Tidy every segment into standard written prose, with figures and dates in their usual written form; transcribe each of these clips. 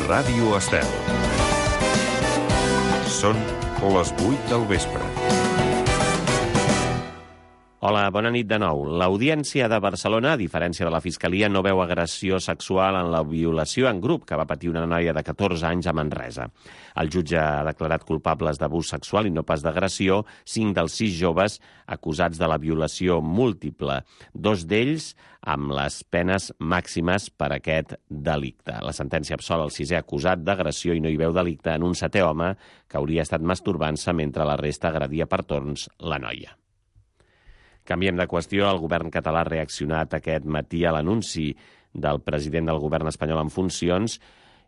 Ràdio Estel. Són les 8 del vespre. Hola, bona nit de nou. L'Audiència de Barcelona, a diferència de la Fiscalia, no veu agressió sexual en la violació en grup que va patir una noia de 14 anys a Manresa. El jutge ha declarat culpables d'abús sexual i no pas d'agressió 5 dels 6 joves acusats de la violació múltiple, 2 d'ells amb les penes màximes per aquest delicte. La sentència absol el 6è acusat d'agressió i no hi veu delicte en un 7è home que hauria estat masturbant-se mentre la resta agredia per torns la noia. Canviem de qüestió. El govern català ha reaccionat aquest matí a l'anunci del president del govern espanyol en funcions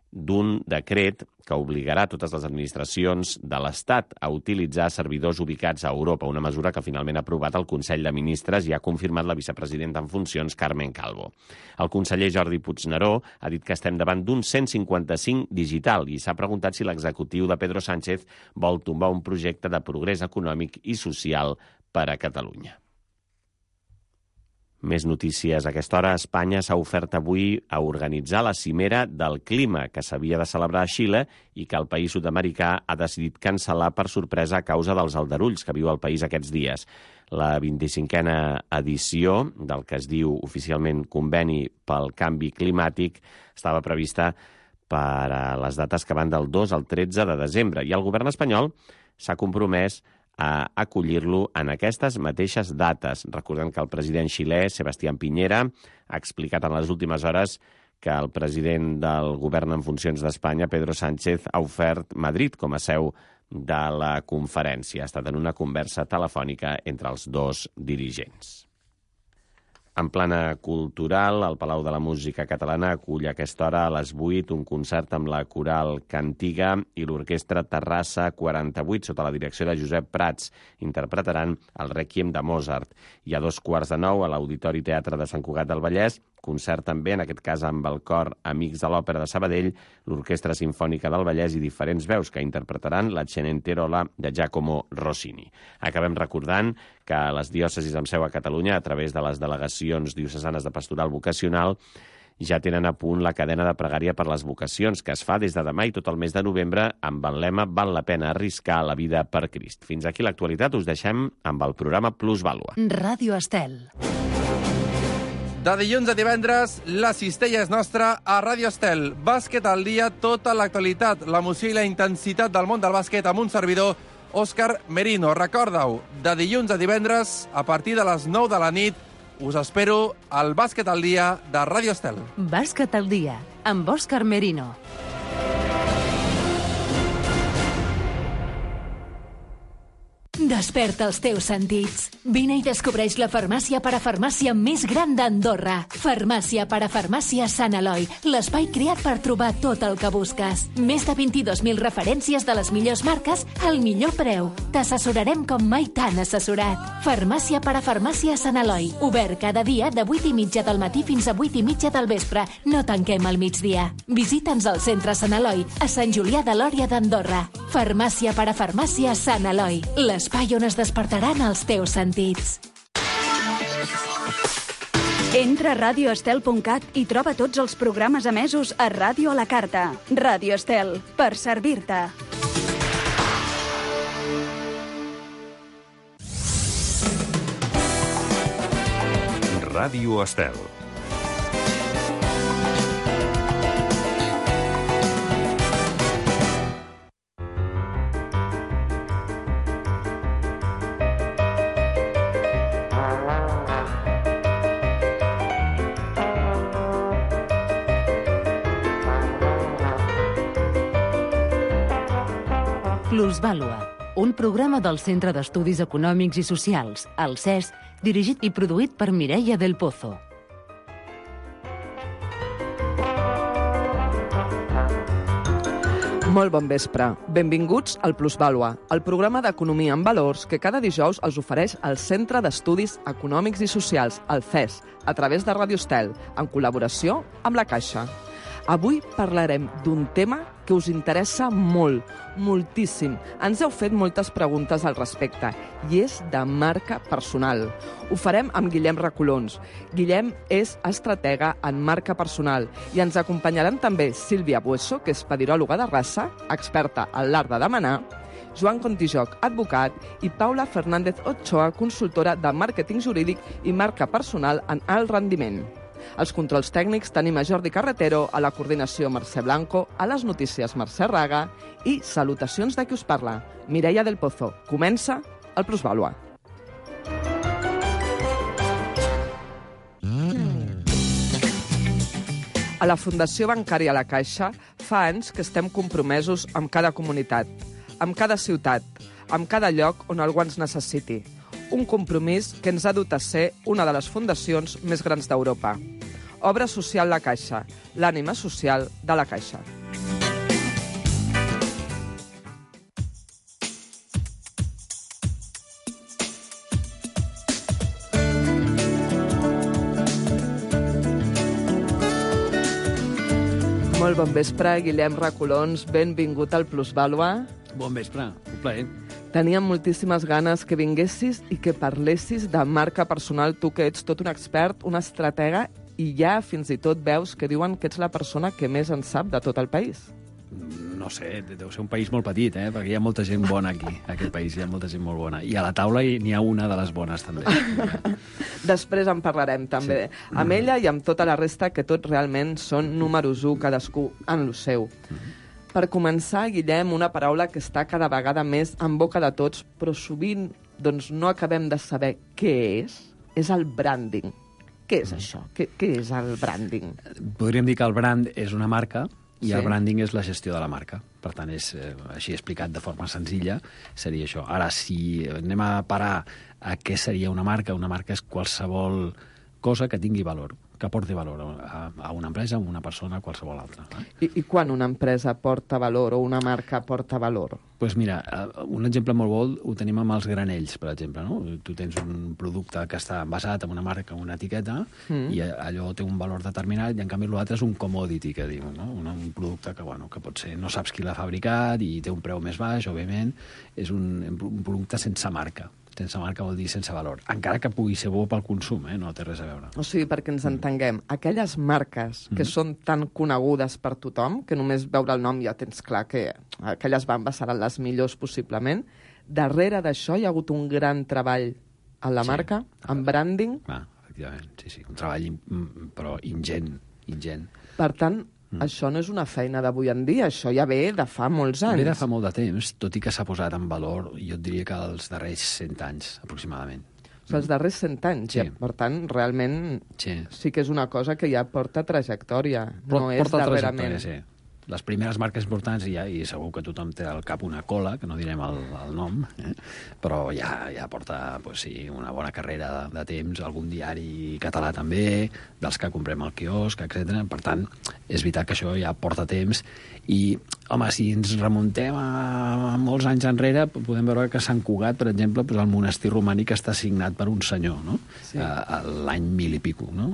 d'un decret que obligarà totes les administracions de l'Estat a utilitzar servidors ubicats a Europa, una mesura que finalment ha aprovat el Consell de Ministres i ha confirmat la vicepresidenta en funcions, Carmen Calvo. El conseller Jordi Puigneró ha dit que estem davant d'un 155 digital i s'ha preguntat si l'executiu de Pedro Sánchez vol tombar un projecte de progrés econòmic i social per a Catalunya. Més notícies. A aquesta hora, Espanya s'ha ofert avui a organitzar la cimera del clima que s'havia de celebrar a Xile i que el país sud-americà ha decidit cancel·lar per sorpresa a causa dels aldarulls que viu el país aquests dies. La 25a edició del que es diu oficialment Conveni pel Canvi Climàtic estava prevista per a les dates que van del 2 al 13 de desembre i el govern espanyol s'ha compromès a acollir-lo en aquestes mateixes dates. Recordem que el president xilè, Sebastián Piñera, ha explicat en les últimes hores que el president del govern en funcions d'Espanya, Pedro Sánchez, ha ofert Madrid com a seu de la conferència. Ha estat en una conversa telefònica entre els dos dirigents. En plana cultural, el Palau de la Música Catalana acull a aquesta hora a les 8 un concert amb la coral Cantiga i l'orquestra Terrassa 48 sota la direcció de Josep Prats. Interpretaran el Rèquiem de Mozart. I a 2:15 a l'Auditori Teatre de Sant Cugat del Vallès, concert també, en aquest cas amb el cor Amics de l'Òpera de Sabadell, l'Orquestra Simfònica del Vallès i diferents veus que interpretaran la Cenerentola de Giacomo Rossini. Acabem recordant que les diòcesis amb seu a Catalunya, a través de les delegacions diocesanes de pastoral vocacional, ja tenen a punt la cadena de pregària per les vocacions, que es fa des de demà i tot el mes de novembre amb el lema «Val la pena arriscar la vida per Crist». Fins aquí l'actualitat. Us deixem amb el programa Plusvàlua. Ràdio Estel. De dilluns a divendres, la cistella és nostra a Ràdio Estel. Bàsquet al dia, tota l'actualitat, l'emoció i la intensitat del món del bàsquet amb un servidor, Òscar Merino. Recorda-ho, de dilluns a divendres, a partir de les 9 de la nit, us espero al Bàsquet al dia de Ràdio Estel. Bàsquet al dia, amb Òscar Merino. Desperta els teus sentits. Vine i descobreix la farmàcia parafarmàcia més gran d'Andorra. Farmàcia parafarmàcia Sant Eloi, l'espai creat per trobar tot el que busques. Més de 22.000 referències de les millors marques al millor preu. T'assessorarem com mai t'han assessorat. Farmàcia parafarmàcia Sant Eloi, obert cada dia de 8:30 del matí fins a 8:30 del vespre. No tanquem al migdia. Visita'ns al centre Sant Eloi, a Sant Julià de Lòria d'Andorra. Farmàcia parafarmàcia Sant Eloi, l'espai on es despertaran els teus sentits. Entra a radioestel.cat i troba tots els programes emesos a Ràdio a la Carta. Ràdio Estel, per servir-te. Ràdio Estel. Plusvàlua, un programa del Centre d'Estudis Econòmics i Socials, el CES, dirigit i produït per Mireia del Pozo. Molt bon vespre. Benvinguts al Plusvàlua, el programa d'economia en valors que cada dijous els ofereix el Centre d'Estudis Econòmics i Socials, el CES, a través de Ràdio Estel, en col·laboració amb la Caixa. Avui parlarem d'un tema que us interessa molt, moltíssim. Ens heu fet moltes preguntes al respecte i és de marca personal. Ho farem amb Guillem Recolons. Guillem és estratega en marca personal i ens acompanyaran també Sílvia Bueso, que és pediròloga de raça, experta en l'art de demanar, Joan Contijoc, advocat, i Paula Fernández Ochoa, consultora de màrqueting jurídic i marca personal en alt rendiment. Als controls tècnics tenim a Jordi Carretero, a la coordinació Mercè Blanco, a les notícies Mercè Raga i salutacions de qui us parla, Mireia del Pozo. Comença el Plusvàlua. A la Fundació Bancària La Caixa fa anys que estem compromesos amb cada comunitat, amb cada ciutat, amb cada lloc on algú ens necessiti. Un compromís que ens ha dut a ser una de les fundacions més grans d'Europa. Obra Social La Caixa, l'ànima social de la Caixa. Molt bon vespre, Guillem Recolons, benvingut al Plusvàlua. Bon vespre, un plaer. Teníem moltíssimes ganes que vinguessis i que parlessis de marca personal, tu que ets tot un expert, una estratega, i ja fins i tot veus que diuen que ets la persona que més en sap de tot el país. No sé, deu ser un país molt petit, perquè hi ha molta gent bona aquí, a aquest país, hi ha molta gent molt bona. I a la taula n'hi ha una de les bones, també. Després en parlarem, també. Sí. Amb ella i amb tota la resta, que tots realment són números 1, cadascú en lo seu. Per començar, Guillem, una paraula que està cada vegada més en boca de tots, però sovint doncs, no acabem de saber què és el branding. Què és això? Què és el branding? Podríem dir que el brand és una marca i Sí. el branding és la gestió de la marca. Per tant, és així explicat de forma senzilla, seria això. Ara, si anem a parar a què seria una marca és qualsevol cosa que tingui valor, que aporti valor a una empresa, a una persona, a qualsevol altra. I quan una empresa porta valor o una marca porta valor? Doncs mira, un exemple molt bo ho tenim amb els granells, per exemple. No? Tu tens un producte que està basat en una marca, una etiqueta, i allò té un valor determinat, i en canvi l'altre és un commodity, que diu, no? Un producte que pot ser, no saps qui l'ha fabricat i té un preu més baix, òbviament, és un producte sense marca. Sense marca vol dir sense valor. Encara que pugui ser bo pel consum, no té res a veure. O sigui, perquè ens entenguem, aquelles marques que són tan conegudes per tothom, que només veure el nom ja tens clar que aquelles bambes seran les millors possiblement, darrere d'això hi ha hagut un gran treball en la marca, en branding. Efectivament, sí. Un treball però ingent. Per tant, això no és una feina d'avui en dia, això ja ve de fa molts anys. Ve de fa molt de temps, tot i que s'ha posat en valor, jo et diria que els darrers 100 anys, aproximadament. O sigui, els darrers 100 anys, Sí. ja. Per tant, realment sí que és una cosa que ja porta trajectòria, no és darrerament. Sí. Les primeres marques importants, i segur que tothom té al cap una cola, que no direm el nom, però ja porta una bona carrera de temps, algun diari català també, dels que comprem al quiosc, etc. Per tant, és veritat que això ja porta temps i, home, si ens remuntem a molts anys enrere, podem veure que Sant Cugat, per exemple, el monestir romànic està signat per un senyor, no? Sí. L'any 1000 i pico, no?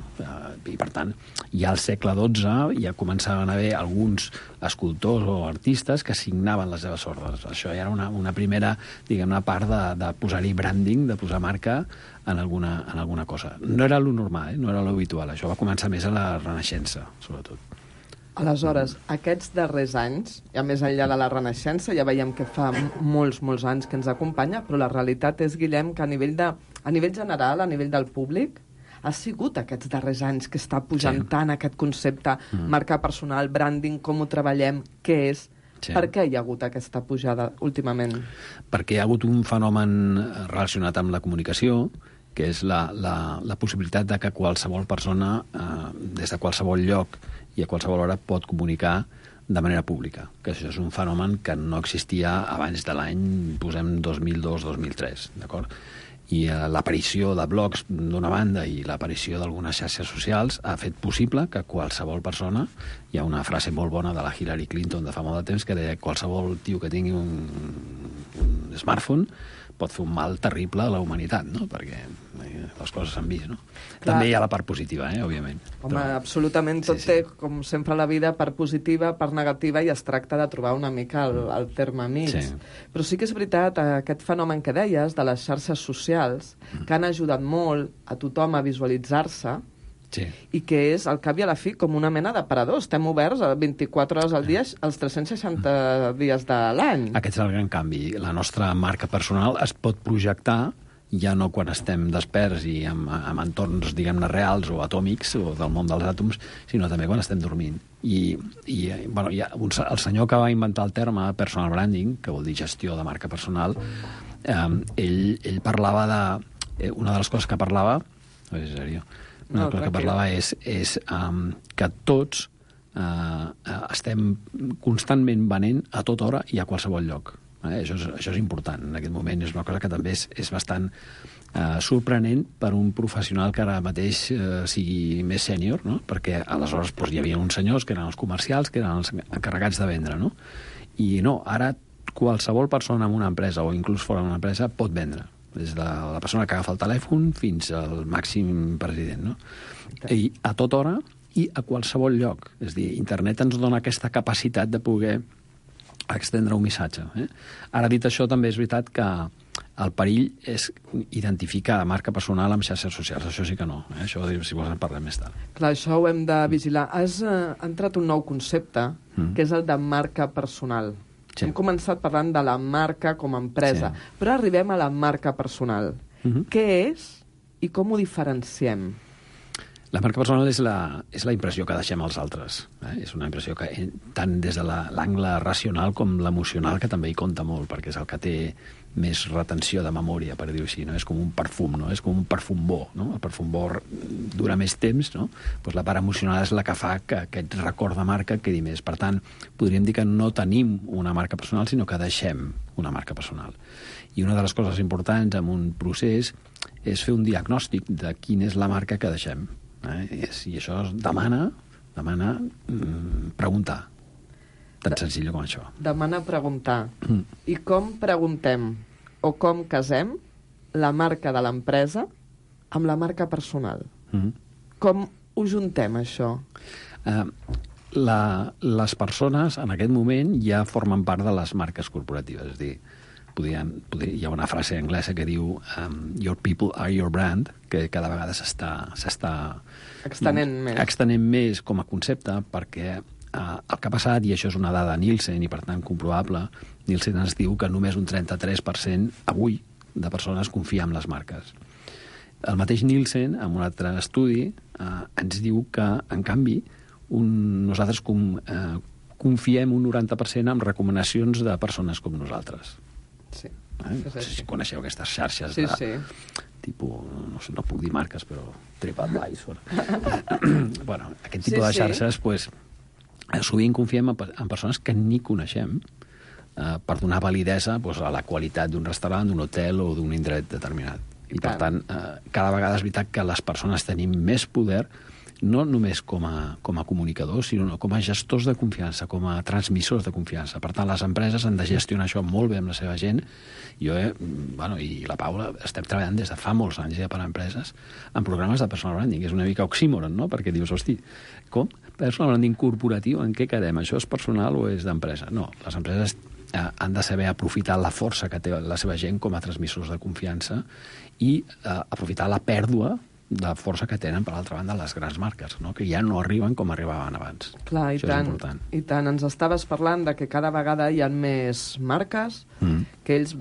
I, per tant, ja al segle XII ja començaven a haver alguns escultors o artistes que signaven les seves ordres. Això ja era una primera, diguem-ne, part de posar-hi branding, de posar marca en alguna cosa. No era lo normal, no era lo habitual. Això va començar més a la Renaixença, sobretot. Aleshores, aquests darrers anys, ja més enllà de la Renaixença, ja veiem que fa molts anys que ens acompanya, però la realitat és, Guillem, que a nivell general, a nivell del públic, ha sigut aquests darrers anys que està pujant tant aquest concepte, marca personal, branding, com ho treballem, què és. Sí. Per què hi ha hagut aquesta pujada últimament? Perquè hi ha hagut un fenomen relacionat amb la comunicació, que és la possibilitat de que qualsevol persona, des de qualsevol lloc i a qualsevol hora, pot comunicar de manera pública. Que això és un fenomen que no existia abans de l'any, posem 2002-2003, d'acord? I l'aparició de blogs d'una banda i l'aparició d'algunes xarxes socials ha fet possible que qualsevol persona, hi ha una frase molt bona de la Hillary Clinton de fa molt de temps que deia que qualsevol tio que tingui un smartphone pot fer un mal terrible a la humanitat, no? Perquè les coses s'han vist, no? Clar. També hi ha la part positiva, òbviament. Home, absolutament tot té, com sempre, la vida part positiva, part negativa, i es tracta de trobar una mica el terme mig. Sí. Però sí que és veritat, aquest fenomen que deies, de les xarxes socials, que han ajudat molt a tothom a visualitzar-se, sí, i que és, al cap i a la fi, com una mena d'aparador. Estem oberts 24 hores al dia, els 360 dies de l'any. Aquest és el gran canvi. La nostra marca personal es pot projectar ja no quan estem desperts i en entorns, diguem-ne, reals o atòmics o del món dels àtoms, sinó també quan estem dormint. I bueno, el senyor que va inventar el terme personal branding, que vol dir gestió de marca personal, ell parlava de... Una de les coses que parlava... No, és seriós. Una cosa que parlava és que tots estem constantment venent a tota hora i a qualsevol lloc. Això és important en aquest moment. És una cosa que també és bastant sorprenent per un professional que ara mateix sigui més sènior, no? Perquè aleshores hi havia uns senyors que eren els comercials, que eren els encarregats de vendre, no? I no, ara qualsevol persona en una empresa o inclús fora d'una empresa pot vendre, des de la persona que agafa el telèfon fins al màxim president, no? I a tota hora i a qualsevol lloc. És a dir, internet ens dona aquesta capacitat de poder extendre un missatge. Ara, dit això, també és veritat que el perill és identificar marca personal amb xarxes socials. Això sí que no. Això, si vols, en parlem més tard. Clar, això ho hem de vigilar. Has entrat un nou concepte, que és el de marca personal. Sí. Hem començat parlant de la marca com a empresa, sí, però arribem a la marca personal. Què és i com ho diferenciem? La marca personal és la impressió que deixem als altres. És una impressió que, tant des de l'angle racional com l'emocional, que també hi compta molt, perquè és el que té més retenció de memòria, per dir-ho així. No? És com un perfum, no? És com un perfum bo. No? El perfum bo dura més temps, no? Pues la part emocional és la que fa que aquest record de marca quedi més. Per tant, podríem dir que no tenim una marca personal, sinó que deixem una marca personal. I una de les coses importants en un procés és fer un diagnòstic de quina és la marca que deixem. I això demana preguntar. Tan senzill com això. Demana preguntar. I com preguntem o com casem la marca de l'empresa amb la marca personal? Com ho juntem, això? Les persones, en aquest moment, ja formen part de les marques corporatives. És a dir, hi ha una frase anglesa que diu your people are your brand, que cada vegada s'està extenent més com a concepte, perquè el que ha passat, i això és una dada Nielsen i per tant comprovable, Nielsen ens diu que només un 33% avui de persones confia en les marques. El mateix Nielsen, en un altre estudi, ens diu que, en canvi, nosaltres confiem un 90% en recomanacions de persones com nosaltres. Sí. No sé si coneixeu aquestes xarxes tipus, no puc dir marques, però TripAdvisor. Bueno, aquest tipus de xarxes, sovint confiem en persones que ni coneixem per donar validesa a la qualitat d'un restaurant, d'un hotel o d'un indret determinat. I per tant, cada vegada és veritat que les persones tenim més poder, no només com a comunicadors, sinó com a gestors de confiança, com a transmissors de confiança. Per tant, les empreses han de gestionar això molt bé amb la seva gent. Jo i la Paula estem treballant des de fa molts anys ja per a empreses en programes de personal branding. És una mica oxímoron, no? Perquè dius, hosti, com? Personal branding corporatiu, en què quedem? Això és personal o és d'empresa? No, les empreses han de saber aprofitar la força que té la seva gent com a transmissors de confiança i aprofitar la pèrdua de força que tenen, per altra banda, les grans marques, no? Que ja no arriben com arribaven abans. Clar, i tant. Ens estaves parlant de que cada vegada hi ha més marques, que ells,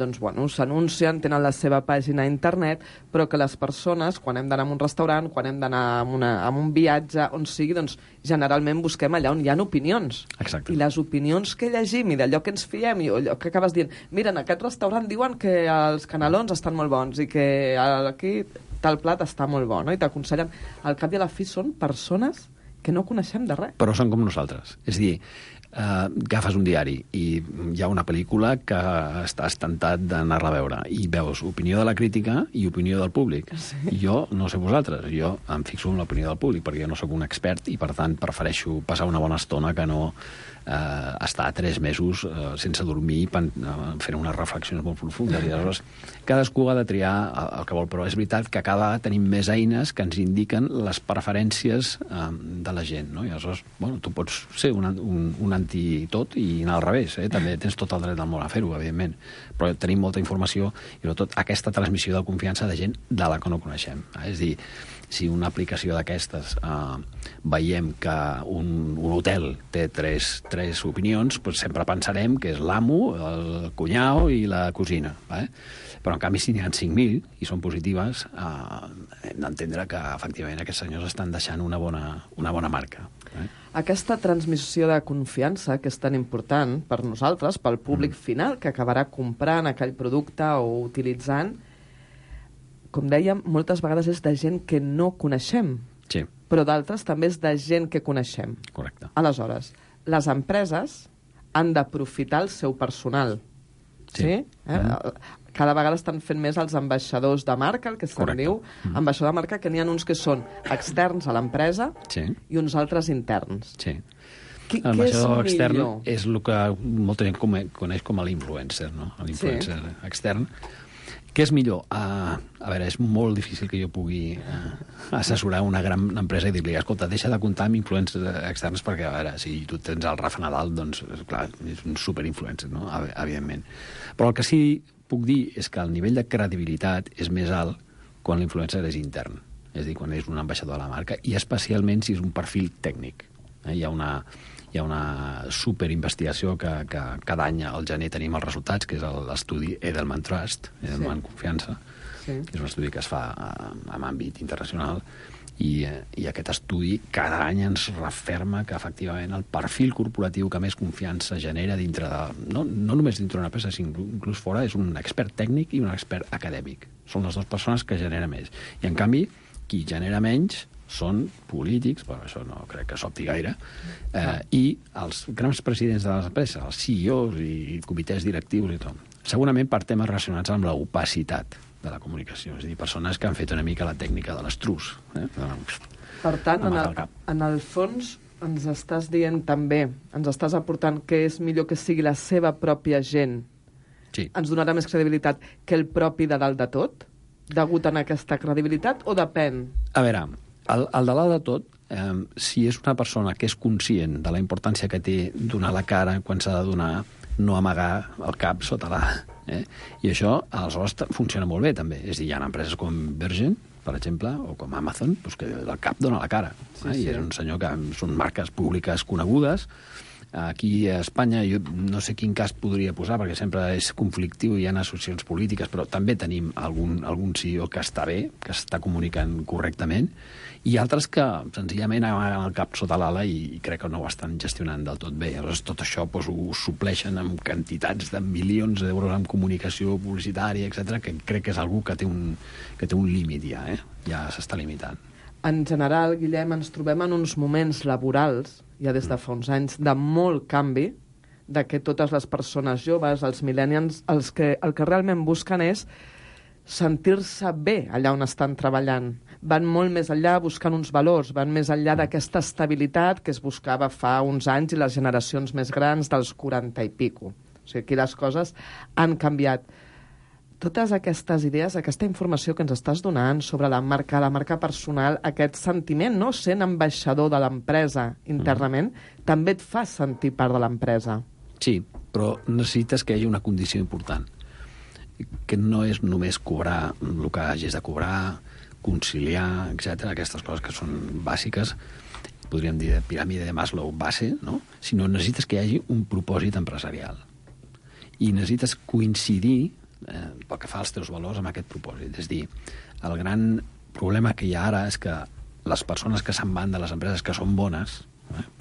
s'anuncien, tenen la seva pàgina a internet, però que les persones, quan hem d'anar a un restaurant, quan hem d'anar a un viatge, on sigui, generalment busquem allà on hi ha opinions. Exacte. I les opinions que llegim i d'allò que ens fiem, i allò que acabes dient, mira, en aquest restaurant diuen que els canelons estan molt bons i que aquí tal plat està molt bo, no? I t'aconsellen. Al cap i a la fi són persones que no coneixem de res. Però són com nosaltres. És a dir, agafes un diari i hi ha una pel·lícula que estàs tentat d'anar-la a veure i veus opinió de la crítica i opinió del públic. Sí. Jo no sé vosaltres, jo em fixo en l'opinió del públic perquè jo no sóc un expert i per tant prefereixo passar una bona estona que no estar 3 mesos sense dormir fent unes reflexions molt profundes. I aleshores cadascú ha de triar el que vol, però és veritat que cada vegada tenim més eines que ens indiquen les preferències de la gent, no? I aleshores, bueno, tu pots ser un anti-tot i anar al revés, també tens tot el dret del món a fer-ho, evidentment, però tenim molta informació i sobretot aquesta transmissió de confiança de gent de la que no coneixem. És a dir, si una aplicació d'aquestes veiem que un hotel té tres opinions, doncs sempre pensarem que és l'amo, el cunyau i la cosina. Però, en canvi, si n'hi ha 5.000 i són positives, hem d'entendre que, efectivament, aquests senyors estan deixant una bona marca. Aquesta transmissió de confiança, que és tan important per nosaltres, pel públic final, que acabarà comprant aquell producte o utilitzant, com dèiem, moltes vegades és de gent que no coneixem. Sí. Però d'altres també és de gent que coneixem. Correcte. Aleshores, les empreses han d'aprofitar el seu personal. Sí? Cada vegada estan fent més els ambaixadors de marca, el que se'n diu. Ambaixador de marca, que n'hi ha uns que són externs a l'empresa i uns altres interns. Sí. L'ambaixador extern és el que molta gent coneix com a l'influencer, no? L'influencer extern. Què és millor? A veure, és molt difícil que jo pugui assessorar una gran empresa i dir-li, escolta, deixa de comptar amb influencers externs perquè, a veure, si tu tens el Rafa Nadal, doncs, clar, és un superinfluencer, no? Evidentment. Però el que sí puc dir és que el nivell de credibilitat és més alt quan l'influencer és intern, és a dir, quan és un ambaixador de la marca, i especialment si és un perfil tècnic. Hi ha una superinvestigació que cada any al gener tenim els resultats, que és l'estudi Edelman Trust, Edelman Confiança, que és un estudi que es fa en àmbit internacional, i aquest estudi cada any ens referma que efectivament el perfil corporatiu que més confiança genera dintre de... No només dintre d'una empresa, sinó inclús fora, és un expert tècnic i un expert acadèmic. Són les dues persones que genera més. I en canvi, qui genera menys són polítics, però això no crec que s'opti gaire, i els grans presidents de les empreses, els CEOs i comitès directius i tot. Segurament per temes relacionats amb l'opacitat de la comunicació, és a dir, persones que han fet una mica la tècnica de l'estrus. Per tant, en el fons, ens estàs dient també, ens estàs aportant que és millor que sigui la seva pròpia gent. Sí. Ens donarà més credibilitat que el propi de dalt de tot? Degut a aquesta credibilitat o depèn? A veure, el de dalt de tot, si és una persona que és conscient de la importància que té donar la cara quan s'ha de donar, no amagar el cap sota l'ala. I això, aleshores, funciona molt bé, també. És a dir, hi ha empreses com Virgin, per exemple, o com Amazon, doncs que el cap dona la cara. I és un senyor que són marques públiques conegudes. Aquí a Espanya, jo no sé quin cas podria posar, perquè sempre és conflictiu, hi ha associacions polítiques, però també tenim algun CEO que està bé, que està comunicant correctament, i altres que senzillament amaguen el cap sota l'ala i crec que no ho estan gestionant del tot bé. Aleshores, tot això ho supleixen amb quantitats de milions d'euros en comunicació publicitària, etc, que crec que és algú que té un límit ja, ja s'està limitant. En general, Guillem, ens trobem en uns moments laborals, ja des de fa uns anys, de molt canvi, de que totes les persones joves, els millennials, el que realment busquen és sentir-se bé allà on estan treballant. Van molt més enllà buscant uns valors, van més enllà d'aquesta estabilitat que es buscava fa uns anys i les generacions més grans dels 40 i pico. O sigui, aquí les coses han canviat. Totes aquestes idees, aquesta informació que ens estàs donant sobre la marca personal, aquest sentiment, no? Sent ambaixador de l'empresa internament, també et fa sentir part de l'empresa. Sí, però necessites que hi hagi una condició important, que no és només cobrar el que hagis de cobrar, conciliar, etc. Aquestes coses que són bàsiques, podríem dir de piràmide de Maslow base, no? Sinó necessites que hi hagi un propòsit empresarial. I necessites coincidir pel que fa als teus valors amb aquest propòsit. És a dir, el gran problema que hi ha ara és que les persones que se'n van de les empreses que són bones,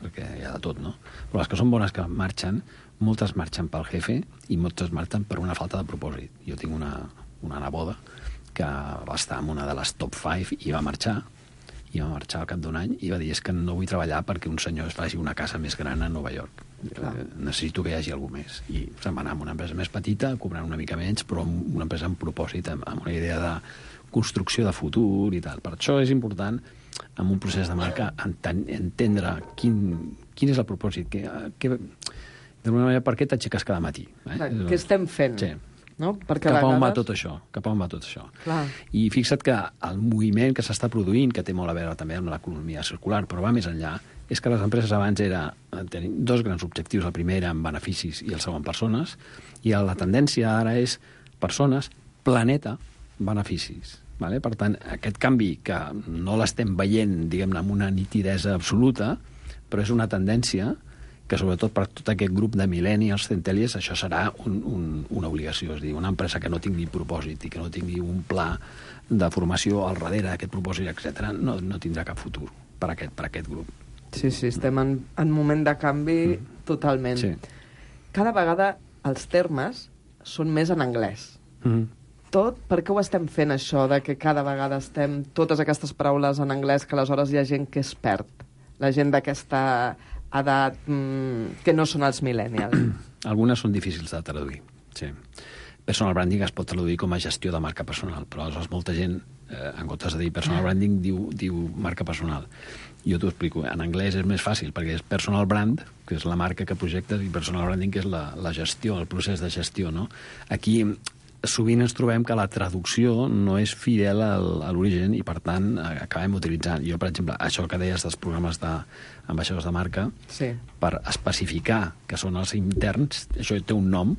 perquè hi ha de tot, no? Però les que són bones que marxen, moltes marxen pel jefe i moltes marxen per una falta de propòsit. Jo tinc una neboda que va estar en una de les top 5 i va marxar i va marxar al cap d'un any i va dir, és que no vull treballar perquè un senyor es faci una casa més gran a Nova York. Necessito que hi hagi algú més. I se'n va anar amb una empresa més petita, cobrant una mica menys, però amb una empresa amb propòsit, amb una idea de construcció de futur i tal. Per això és important, en un procés de marca, entendre quin és el propòsit, d'alguna manera, per què t'aixeques cada matí. Què estem fent? Sí. No? Perquè Cap on va tot això? Clar. I fixa't que el moviment que s'està produint, que té molt a veure també amb l'economia circular, però va més enllà, és que les empreses abans tenien dos grans objectius. El primer eren beneficis i el segon persones, i la tendència ara és persones, planeta, beneficis. Vale? Per tant, aquest canvi que no l'estem veient, diguem-ne, amb una nitidesa absoluta, però és una tendència que sobretot per tot aquest grup de millennials, centennials, això serà una obligació. És a dir, una empresa que no tingui propòsit i que no tingui un pla de formació al darrere d'aquest propòsit, etc., no tindrà cap futur per aquest grup. Sí, estem en moment de canvi totalment. Sí. Cada vegada els termes són més en anglès. Tot, per què ho estem fent, això, de que cada vegada estem totes aquestes paraules en anglès, que aleshores hi ha gent que es perd? La gent d'aquesta edat que no són els millennials. Algunes són difícils de traduir, sí. Personal branding es pot traduir com a gestió de marca personal, però aleshores molta gent, en comptes de dir personal branding, diu marca personal. Jo t'ho explico. En anglès és més fàcil, perquè és personal brand, que és la marca que projectes, i personal branding, que és la gestió, el procés de gestió, no? Aquí sovint ens trobem que la traducció no és fidel a l'origen i, per tant, acabem utilitzant. Jo, per exemple, això que deies dels programes d'ambaixadors de marca, sí, per especificar que són els interns, això té un nom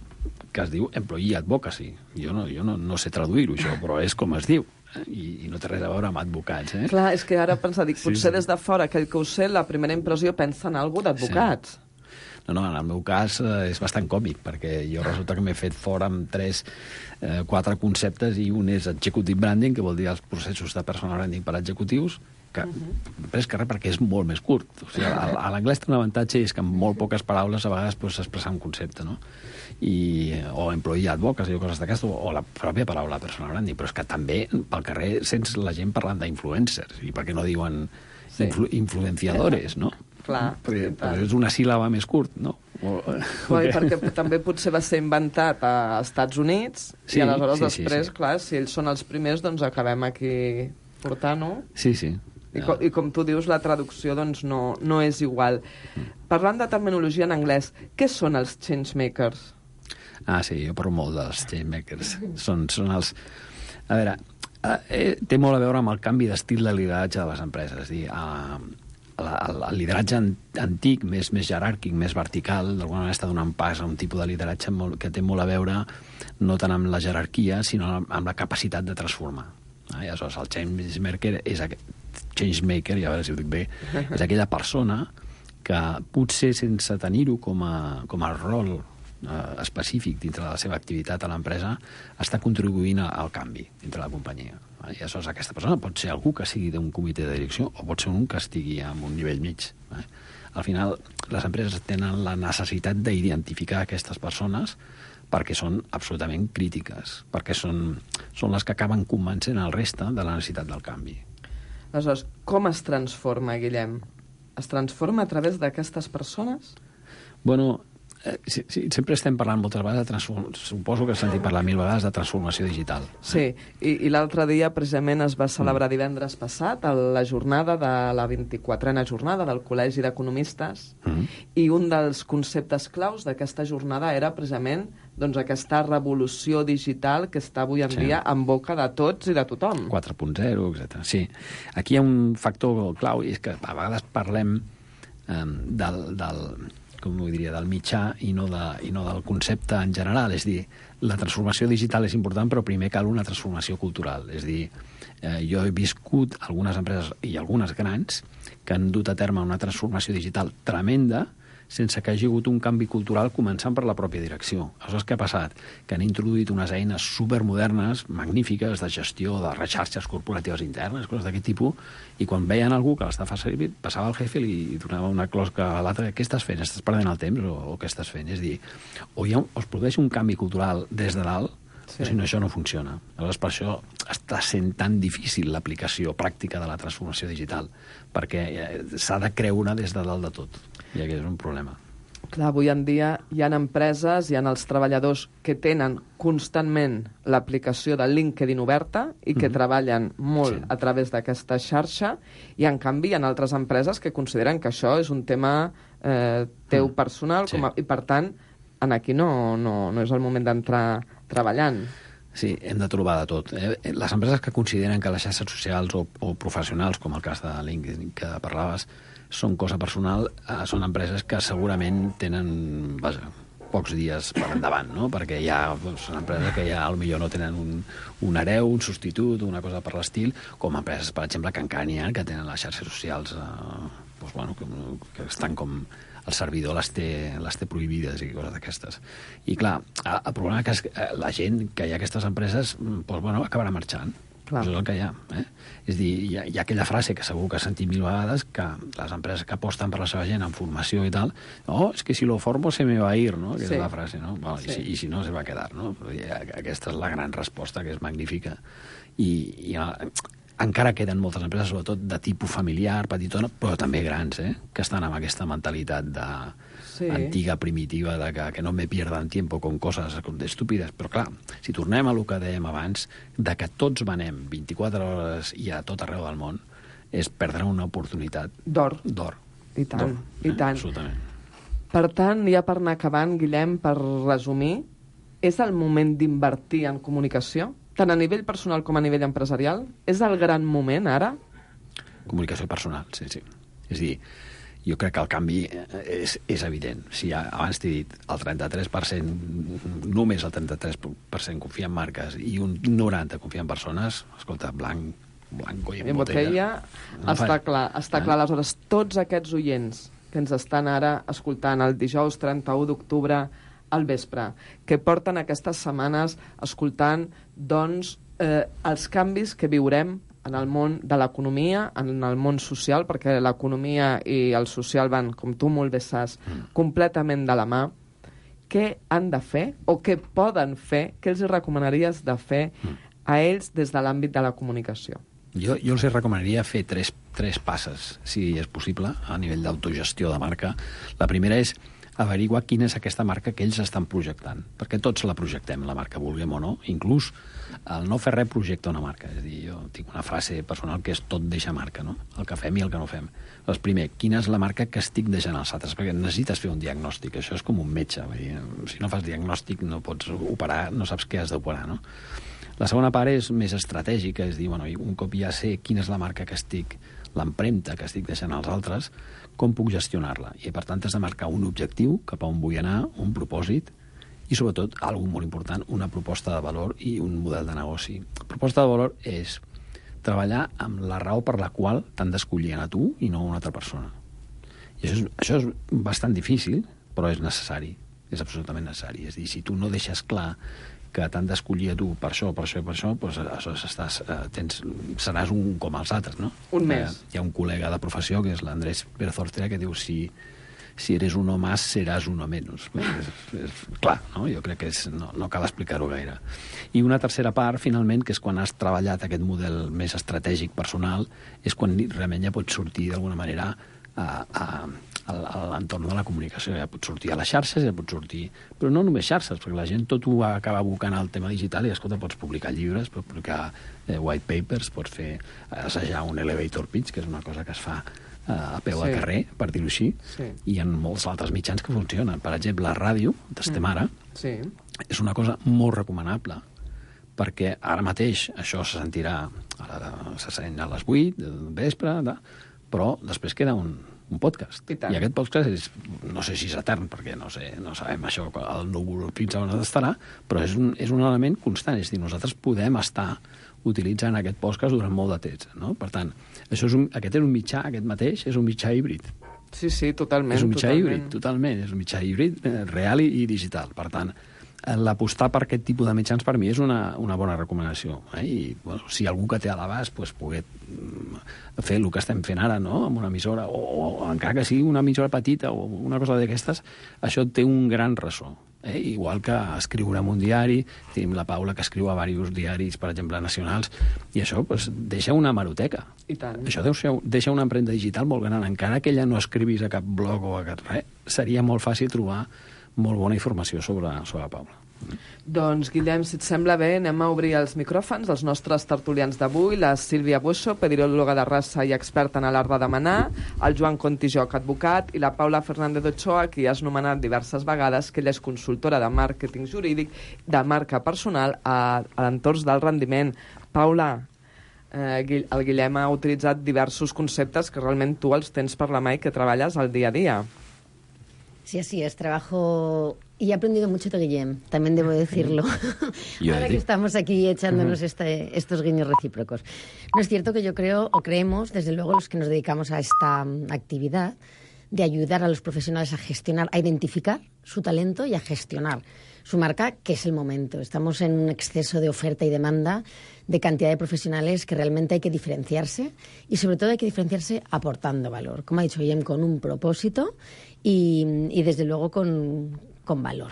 que es diu Employee Advocacy. Jo no sé traduir-ho, això, però és com es diu. I no té res a veure amb advocats. Clar, és que ara pensa, potser des de fora, aquell que ho sé, la primera impressió pensa en algú d'advocats. Sí. No, en el meu cas és bastant còmic, perquè jo resulta que m'he fet fora amb 4 conceptes, i un és executive branding, que vol dir els processos de personal branding per a executius, que és que res, perquè és molt més curt. O sigui, a l'anglès té un avantatge, i és que amb molt poques paraules a vegades pots expressar un concepte, no? O employee advocacy o coses d'aquestes, o la pròpia paraula personal branding, però és que també pel carrer sents la gent parlant d'influencers, i per què no diuen influenciadores, no? Clar, però és una síl·laba més curt, no? Perquè també potser va ser inventat als Estats Units, i aleshores després, clar, si ells són els primers, doncs acabem aquí portant-ho. Sí. I com tu dius, la traducció doncs no és igual. Parlant de terminologia en anglès, què són els changemakers? Sí, jo parlo molt dels changemakers. Són els... A veure, té molt a veure amb el canvi d'estil de lideratge de les empreses. És a dir, el lideratge antic, més jeràrquic, més vertical, d'alguna manera està donant pas a un tipus de lideratge que té molt a veure no tant amb la jerarquia, sinó amb la capacitat de transformar. Aleshores, el changemaker, i a veure si ho dic bé, és aquella persona que potser sense tenir-ho com a rol específic dintre de la seva activitat a l'empresa està contribuint al canvi dintre la companyia. I aleshores aquesta persona pot ser algú que sigui d'un comitè de direcció o pot ser un que estigui en un nivell mig. Al final, les empreses tenen la necessitat d'identificar aquestes persones perquè són absolutament crítiques, perquè són les que acaben convencent el reste de la necessitat del canvi. Aleshores, com es transforma, Guillem? Es transforma a través d'aquestes persones? Bueno, sí, sempre estem parlant moltes vegades de suposo que has sentit parlar 1000 vegades de transformació digital. Sí, i l'altre dia precisament es va celebrar divendres passat la jornada de la 24a jornada del Col·legi d'Economistes, i un dels conceptes claus d'aquesta jornada era precisament aquesta revolució digital que està avui en dia en boca de tots i de tothom. 4.0, etc. Sí, aquí hi ha un factor clau, i és que a vegades parlem del mitjà i no del concepte en general. És dir, la transformació digital és important, però primer cal una transformació cultural. És dir, jo he viscut algunes empreses, i algunes grans, que han dut a terme una transformació digital tremenda sense que hagi hagut un canvi cultural començant per la pròpia direcció. Aleshores, què ha passat? Que han introduït unes eines supermodernes, magnífiques, de gestió de xarxes corporatives internes, coses d'aquest tipus, i quan veien algú que l'està fent servir, passava al jefe i li donava una closca a l'altre: què estàs fent? Estàs perdent el temps o què estàs fent? És dir, o es produeix un canvi cultural des de dalt, Sí. Si no, això no funciona. Aleshores, per això està sent tan difícil l'aplicació pràctica de la transformació digital, perquè s'ha de creure des de dalt de tot, i aquest és un problema. Clar, avui en dia hi ha empreses, hi ha els treballadors que tenen constantment l'aplicació de LinkedIn oberta i que treballen molt a través d'aquesta xarxa, i en canvi hi ha altres empreses que consideren que això és un tema teu personal, i per tant aquí no és el moment d'entrar treballant. Sí, hem de trobar de tot. Les empreses que consideren que les xarxes socials o professionals, com el cas de LinkedIn que parlaves, són cosa personal, són empreses que segurament tenen pocs dies per endavant, no? Perquè són empreses que ja potser no tenen un hereu, un substitut, una cosa per l'estil, com empreses, per exemple, que encara n'hi ha, que tenen les xarxes socials que estan com el servidor les té prohibides i coses d'aquestes. I clar, el problema és que la gent que hi ha aquestes empreses acabarà marxant. Clar. Això és el que hi ha. És a dir, hi ha aquella frase que segur que has sentit 1000 vegades, que les empreses que aposten per la seva gent en formació i tal, és que si lo formo se me va a ir, no? Que és la frase, no? I si no, se va a quedar, no? Aquesta és la gran resposta, que és magnífica. I encara queden moltes empreses, sobretot de tipus familiar, petitona, però també grans, que estan amb aquesta mentalitat antiga, primitiva, de que no me pierdan tiempo con coses estúpides. Però clar, si tornem a lo que dèiem abans, de que tots venem 24 hores i a tot arreu del món, és perdre una oportunitat d'or. I tant, i tant. Absolutament. Per tant, ja per anar acabant, Guillem, per resumir, és el moment d'invertir en comunicació? Tant a nivell personal com a nivell empresarial? És el gran moment, ara? Comunicació personal, sí. És a dir, jo crec que el canvi és evident. Si abans t'he dit, només el 33% confia en marques i un 90% confia en persones, escolta, blanco i en botella. Està clar. Aleshores, tots aquests oients que ens estan ara escoltant el dijous 31 d'octubre al vespre, que porten aquestes setmanes escoltant els canvis que viurem en el món de l'economia, en el món social, perquè l'economia i el social van, com tu molt bé saps, completament de la mà. Què han de fer o què poden fer? Què els recomanaries de fer a ells des de l'àmbit de la comunicació? Jo els recomanaria fer tres passes, si és possible, a nivell d'autogestió de marca. La primera és averiguar quina és aquesta marca que ells estan projectant, perquè tots la projectem, la marca, vulguem o no. Inclús el no fer res projecta una marca. És a dir, jo tinc una frase personal que és tot deixa marca, no? El que fem i el que no fem. Doncs primer, quina és la marca que estic deixant als altres? Perquè necessites fer un diagnòstic, això és com un metge. Vull dir, si no fas diagnòstic no pots operar, no saps què has d'operar, no? La segona part és més estratègica, és dir, un cop ja sé quina és la marca que estic, l'empremta que estic deixant als altres, com puc gestionar-la? I per tant has de marcar un objectiu cap a on vull anar, un propòsit i sobretot, algo molt important, una proposta de valor i un model de negoci. Proposta de valor és treballar amb la raó per la qual t'han d'escollir a tu i no a una altra persona. I això és bastant difícil, però és necessari, és absolutament necessari. És a dir, si tu no deixes clar que t'han d'escollir a tu per això, doncs seràs un com els altres, no? Un més. Hi ha un col·lega de professió, que és l'Andrés Pérez Ortega, que diu si eres uno más, seràs uno menos. És clar, no? Jo crec que no cal explicar-ho gaire. I una tercera part, finalment, que és quan has treballat aquest model més estratègic personal, és quan realment ja pots sortir d'alguna manera a l'entorn de la comunicació. Ja pots sortir a les xarxes, ja pots sortir... Però no només xarxes, perquè la gent tot ho acaba abocant al tema digital i, escolta, pots publicar llibres, pots publicar white papers, pots assajar un elevator pitch, que és una cosa que es fa a peu de carrer, per dir-ho així, i hi ha molts altres mitjans que funcionen. Per exemple, la ràdio, d'Estem Ara, és una cosa molt recomanable, perquè ara mateix això se sentirà, se sent a les 8 del vespre, però després queda un podcast. I aquest podcast no sé si és etern, perquè no sabem això, el núvol fins on estarà, però és un element constant. És a dir, nosaltres podem estar utilitzant aquest podcast durant molt de temps, no? Per tant, aquest és un mitjà, aquest mateix, és un mitjà híbrid. Sí, totalment. És un mitjà híbrid, totalment. És un mitjà híbrid real i digital. Per tant, l'apostar per aquest tipus de mitjans per mi és una bona recomanació. I bueno, si algú que té a l'abast poder fer el que estem fent ara, no?, amb una emissora, o encara que sigui una emissora petita o una cosa d'aquestes, això té un gran ressò. Igual que escriure en un diari, tenim la Paula que escriu a diversos diaris, per exemple, nacionals, i això deixa una hemeroteca. I tant. Això deixa una empremta digital molt gran. Encara que ella no escrivís a cap blog o a cap res, seria molt fàcil trobar molt bona informació sobre la Paula. Doncs, Guillem, si et sembla bé, anem a obrir els micròfons dels nostres tertulians d'avui, la Sílvia Bueso, pediròloga de raça i experta en l'art de demanar, el Joan Contijoc, advocat, i la Paula Fernández Ochoa, qui has nomenat diverses vegades, que ella és consultora de màrqueting jurídic, de marca personal a l'entorn del rendiment. Paula, el Guillem ha utilitzat diversos conceptes que realment tu els tens per la mà i que treballes al dia a dia. Sí, así es, trabajo y he aprendido mucho de Guillem, también debo decirlo. Ahora que estamos aquí echándonos estos guiños recíprocos. No es cierto que yo creo, o creemos, desde luego los que nos dedicamos a esta actividad, de ayudar a los profesionales a gestionar, a identificar su talento y a gestionar su marca, que es el momento. Estamos en un exceso de oferta y demanda de cantidad de profesionales que realmente hay que diferenciarse y sobre todo hay que diferenciarse aportando valor, como ha dicho Guillem, con un propósito y desde luego con valor.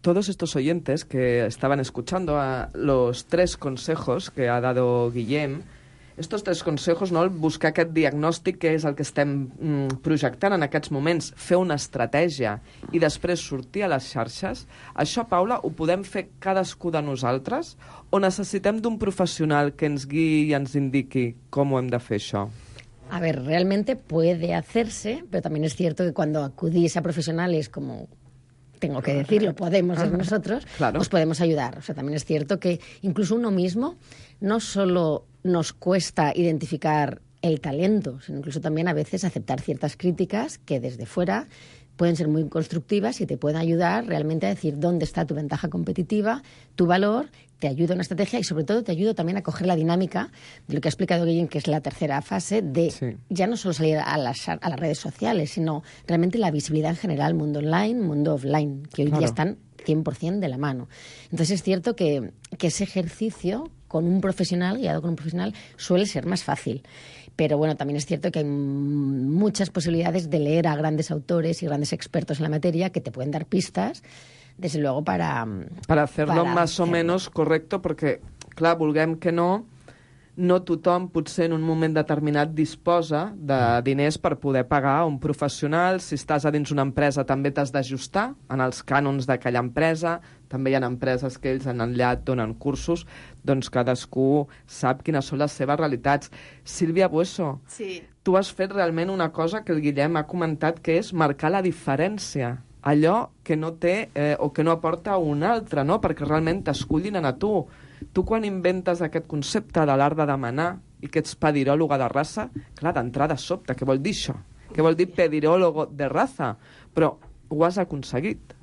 Todos estos oyentes que estaban escuchando a los 3 consejos que ha dado Guillem, estos 3 consejos, no? Buscar aquest diagnòstic, que és el que estem projectant en aquests moments, fer una estratègia i després sortir a les xarxes, això, Paula, ho podem fer cadascú de nosaltres o necessitem d'un professional que ens guiï i ens indiqui com ho hem de fer, això? A ver, realmente puede hacerse, pero también es cierto que cuando acudís a profesionales como... tengo que decirlo, podemos ser nosotros, claro, os podemos ayudar. O sea, también es cierto que incluso uno mismo no solo nos cuesta identificar el talento, sino incluso también a veces aceptar ciertas críticas que desde fuera pueden ser muy constructivas y te pueden ayudar realmente a decir dónde está tu ventaja competitiva, tu valor, te ayuda una estrategia y sobre todo te ayuda también a coger la dinámica de lo que ha explicado Guillem, que es la tercera fase de ya no solo salir a las redes sociales, sino realmente la visibilidad en general, mundo online, mundo offline, que hoy día están 100% de la mano. Entonces es cierto que ese ejercicio con un profesional, guiado con un profesional, suele ser más fácil. Pero bueno, también es cierto que hay muchas posibilidades de leer a grandes autores y grandes expertos en la materia que te pueden dar pistas, desde luego, para hacerlo más o menos correcto, perquè, clar, vulguem que no tothom potser en un moment determinat disposa de diners per poder pagar un professional. Si estàs a dins una empresa també t'has d'ajustar en els cànons d'aquella empresa. També hi ha empreses que ells en enllat donen cursos, doncs cadascú sap quines són les seves realitats. Sílvia Bueso, sí, tu has fet realment una cosa que el Guillem ha comentat, que és marcar la diferència, allò que no té o que no aporta un altre, no? Perquè realment t'escullin a tu. Tu quan inventes aquest concepte de l'art de demanar i que ets pediròloga de raça, clar, d'entrada sobta, què vol dir això? Què vol dir pediròlogo de raza? Però ho has aconseguit.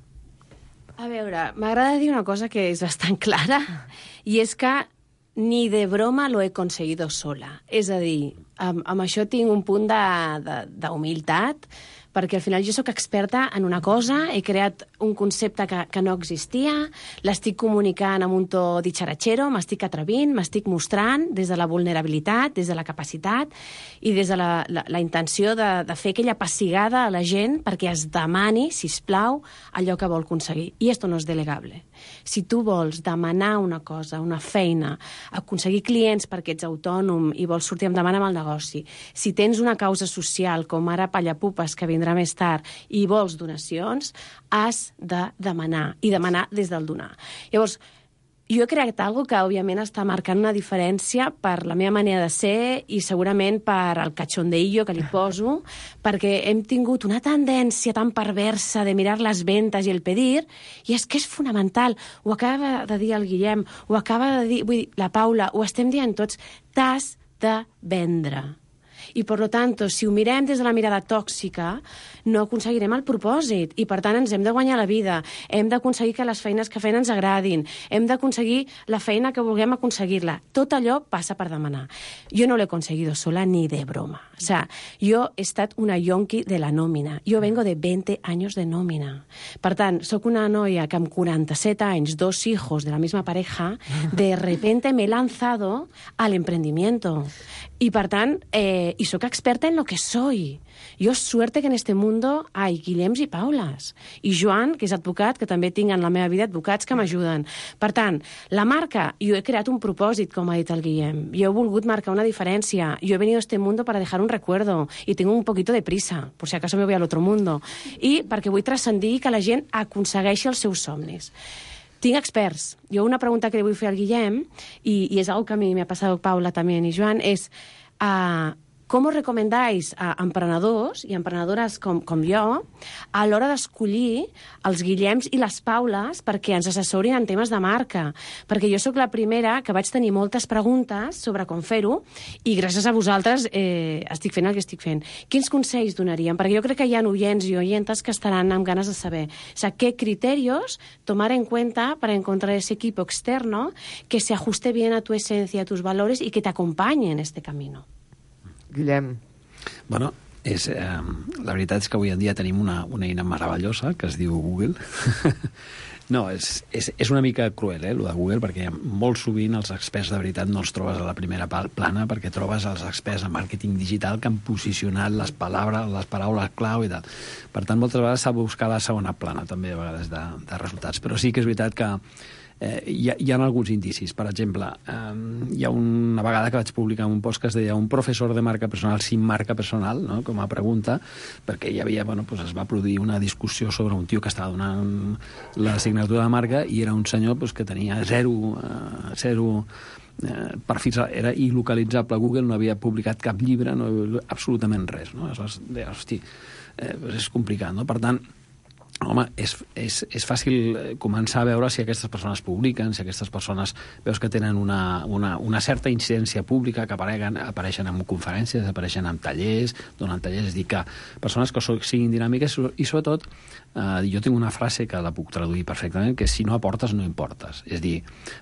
A veure, m'agrada dir una cosa que és bastant clara, i és que ni de broma lo he conseguido sola. És a dir, amb això tinc un punt d'humilitat, perquè al final jo sóc experta en una cosa, he creat un concepte que no existia, l'estic comunicant amb un to ditxaratxero, m'estic atrevint, m'estic mostrant des de la vulnerabilitat, des de la capacitat i des de la intenció de fer aquella pessigada a la gent perquè es demani, sisplau, allò que vol aconseguir. I esto no és delegable. Si tu vols demanar una cosa, una feina, aconseguir clients perquè ets autònom i vols sortir endavant amb el negoci, si tens una causa social com ara Pallapupes, que vindrà més tard, i vols donacions, has de demanar, i demanar des del donar. Llavors, jo he creat alguna que, òbviament, està marcant una diferència per la meva manera de ser i segurament per el cachondeillo que li poso, perquè hem tingut una tendència tan perversa de mirar les ventes i el pedir, i és que és fonamental. Ho acaba de dir el Guillem, ho acaba de dir la Paula, ho estem dient tots, t'has de vendre. I, per tant, si ho mirem des de la mirada tòxica, no aconseguirem el propòsit. I, per tant, ens hem de guanyar la vida, hem d'aconseguir que les feines que fem ens agradin, hem d'aconseguir la feina que vulguem aconseguir-la. Tot allò passa per demanar. Jo no l'he aconseguido sola ni de broma. O sea, yo he estat una yonqui de la nómina. Jo vengo de 20 años de nómina. Per tant, soc una noia que amb 47 anys, 2 hijos de la misma pareja, de repente me he lanzado al emprendimiento. Y, per tant, y soc experta en lo que soy. Jo suerte que en este mundo hay Guillems i Paules. I Joan, que és advocat, que també tinc en la meva vida advocats que m'ajuden. Per tant, la marca, jo he creat un propòsit, com ha dit el Guillem. Jo he volgut marcar una diferència. Jo he venido a este mundo para dejar un recuerdo. Y tengo un poquito de prisa, por si acaso me voy al otro mundo. I perquè vull transcendir que la gent aconsegueixi els seus somnis. Tinc experts. Jo una pregunta que li vull fer al Guillem, y es algo que a mí me ha pasado Paula también y Joan, es ¿cómo recomendáis a emprenedors i emprenedores com jo a l'hora d'escollir els Guillems i les Paules perquè ens assessorin en temes de marca? Perquè jo sóc la primera que vaig tenir moltes preguntes sobre com fer-ho i gràcies a vosaltres estic fent el que estic fent. Quins consells donaríem? Perquè jo crec que hi ha oyents i oyentes que estaran amb ganes de saber. O sea, ¿qué criterios tomar en cuenta para encontrar ese equipo externo que se ajuste bien a tu esencia, a tus valores y que te acompañe en este camino? Guillem. Bueno, la veritat és que avui en dia tenim una eina meravellosa que es diu Google. No, és una mica cruel, lo de Google, perquè molt sovint els experts de veritat no els trobes a la primera plana, perquè trobes els experts en màrqueting digital que han posicionat les paraules clau i tal. Per tant, moltes vegades s'ha de buscar la segona plana, també, a vegades, de resultats. Però sí que és veritat que hi ha alguns indicis. Per exemple, hi ha una vegada que vaig publicar un post que es deia un professor de marca personal sin marca personal, no? Com a pregunta, perquè hi havia, es va produir una discussió sobre un tio que estava donant la signatura de marca i era un senyor que tenia zero perfils, era il·localitzable. Google no havia publicat cap llibre, absolutament res. No? Aleshores, hosti, és complicat, no? Per tant, home, és fàcil començar a veure si aquestes persones publiquen, si aquestes persones veus que tenen una certa incidència pública, que apareixen en conferències, apareixen en tallers, donen tallers, és dir, que persones que siguin dinàmiques i, sobretot, jo tinc una frase que la puc traduir perfectament, que és si no aportes, no importes. És dir,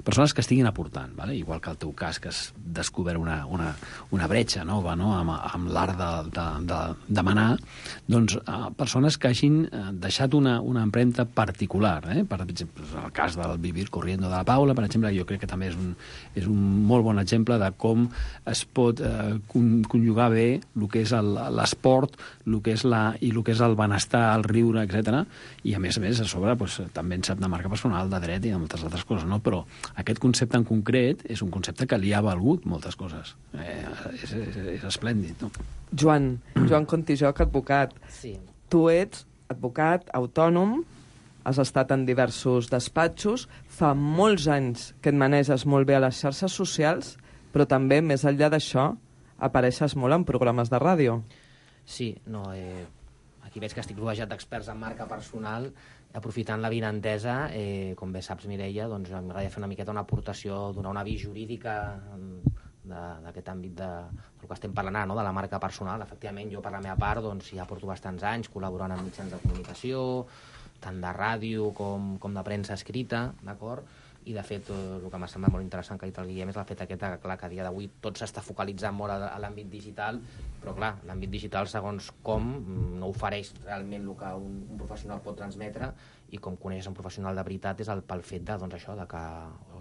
persones que estiguin aportant, ¿vale? Igual que el teu cas, que has descobert una bretxa nova, no? amb l'art de demanar, doncs persones que hagin deixat una empremta particular. Per exemple, el cas del Vivir Corriendo de la Paula, per exemple, jo crec que també és un molt bon exemple de com es pot conjugar bé el que és l'esport, el que és el benestar, el riure, etc. I a més, a sobre, també en sap de marca personal, de dret i de moltes altres coses, no? Però aquest concepte en concret és un concepte que li ha valgut moltes coses. És esplèndid, no? Joan Contijoc, advocat. Sí. Tu ets advocat, autònom, has estat en diversos despatxos, fa molts anys que et maneges molt bé a les xarxes socials, però també, més enllà d'això, apareixes molt en programes de ràdio. Sí, no, aquí veig que estic rodejat d'experts en marca personal, aprofitant l'avinentesa, com bé saps, Mireia, doncs m'agradaria fer una miqueta una aportació, donar una vista jurídica d'aquest àmbit del que estem parlant ara, no? De la marca personal. Efectivament, jo per la meva part doncs, ja porto bastants anys col·laborant amb mitjans de comunicació, tant de ràdio com de premsa escrita, d'acord? I, de fet, el que m'ha semblat molt interessant que ha dit el Guillem és el fet aquest que a dia d'avui tot s'està focalitzant molt a l'àmbit digital, però, clar, l'àmbit digital, segons com, no ofereix realment el que un professional pot transmetre, i com coneix un professional de veritat és pel fet de que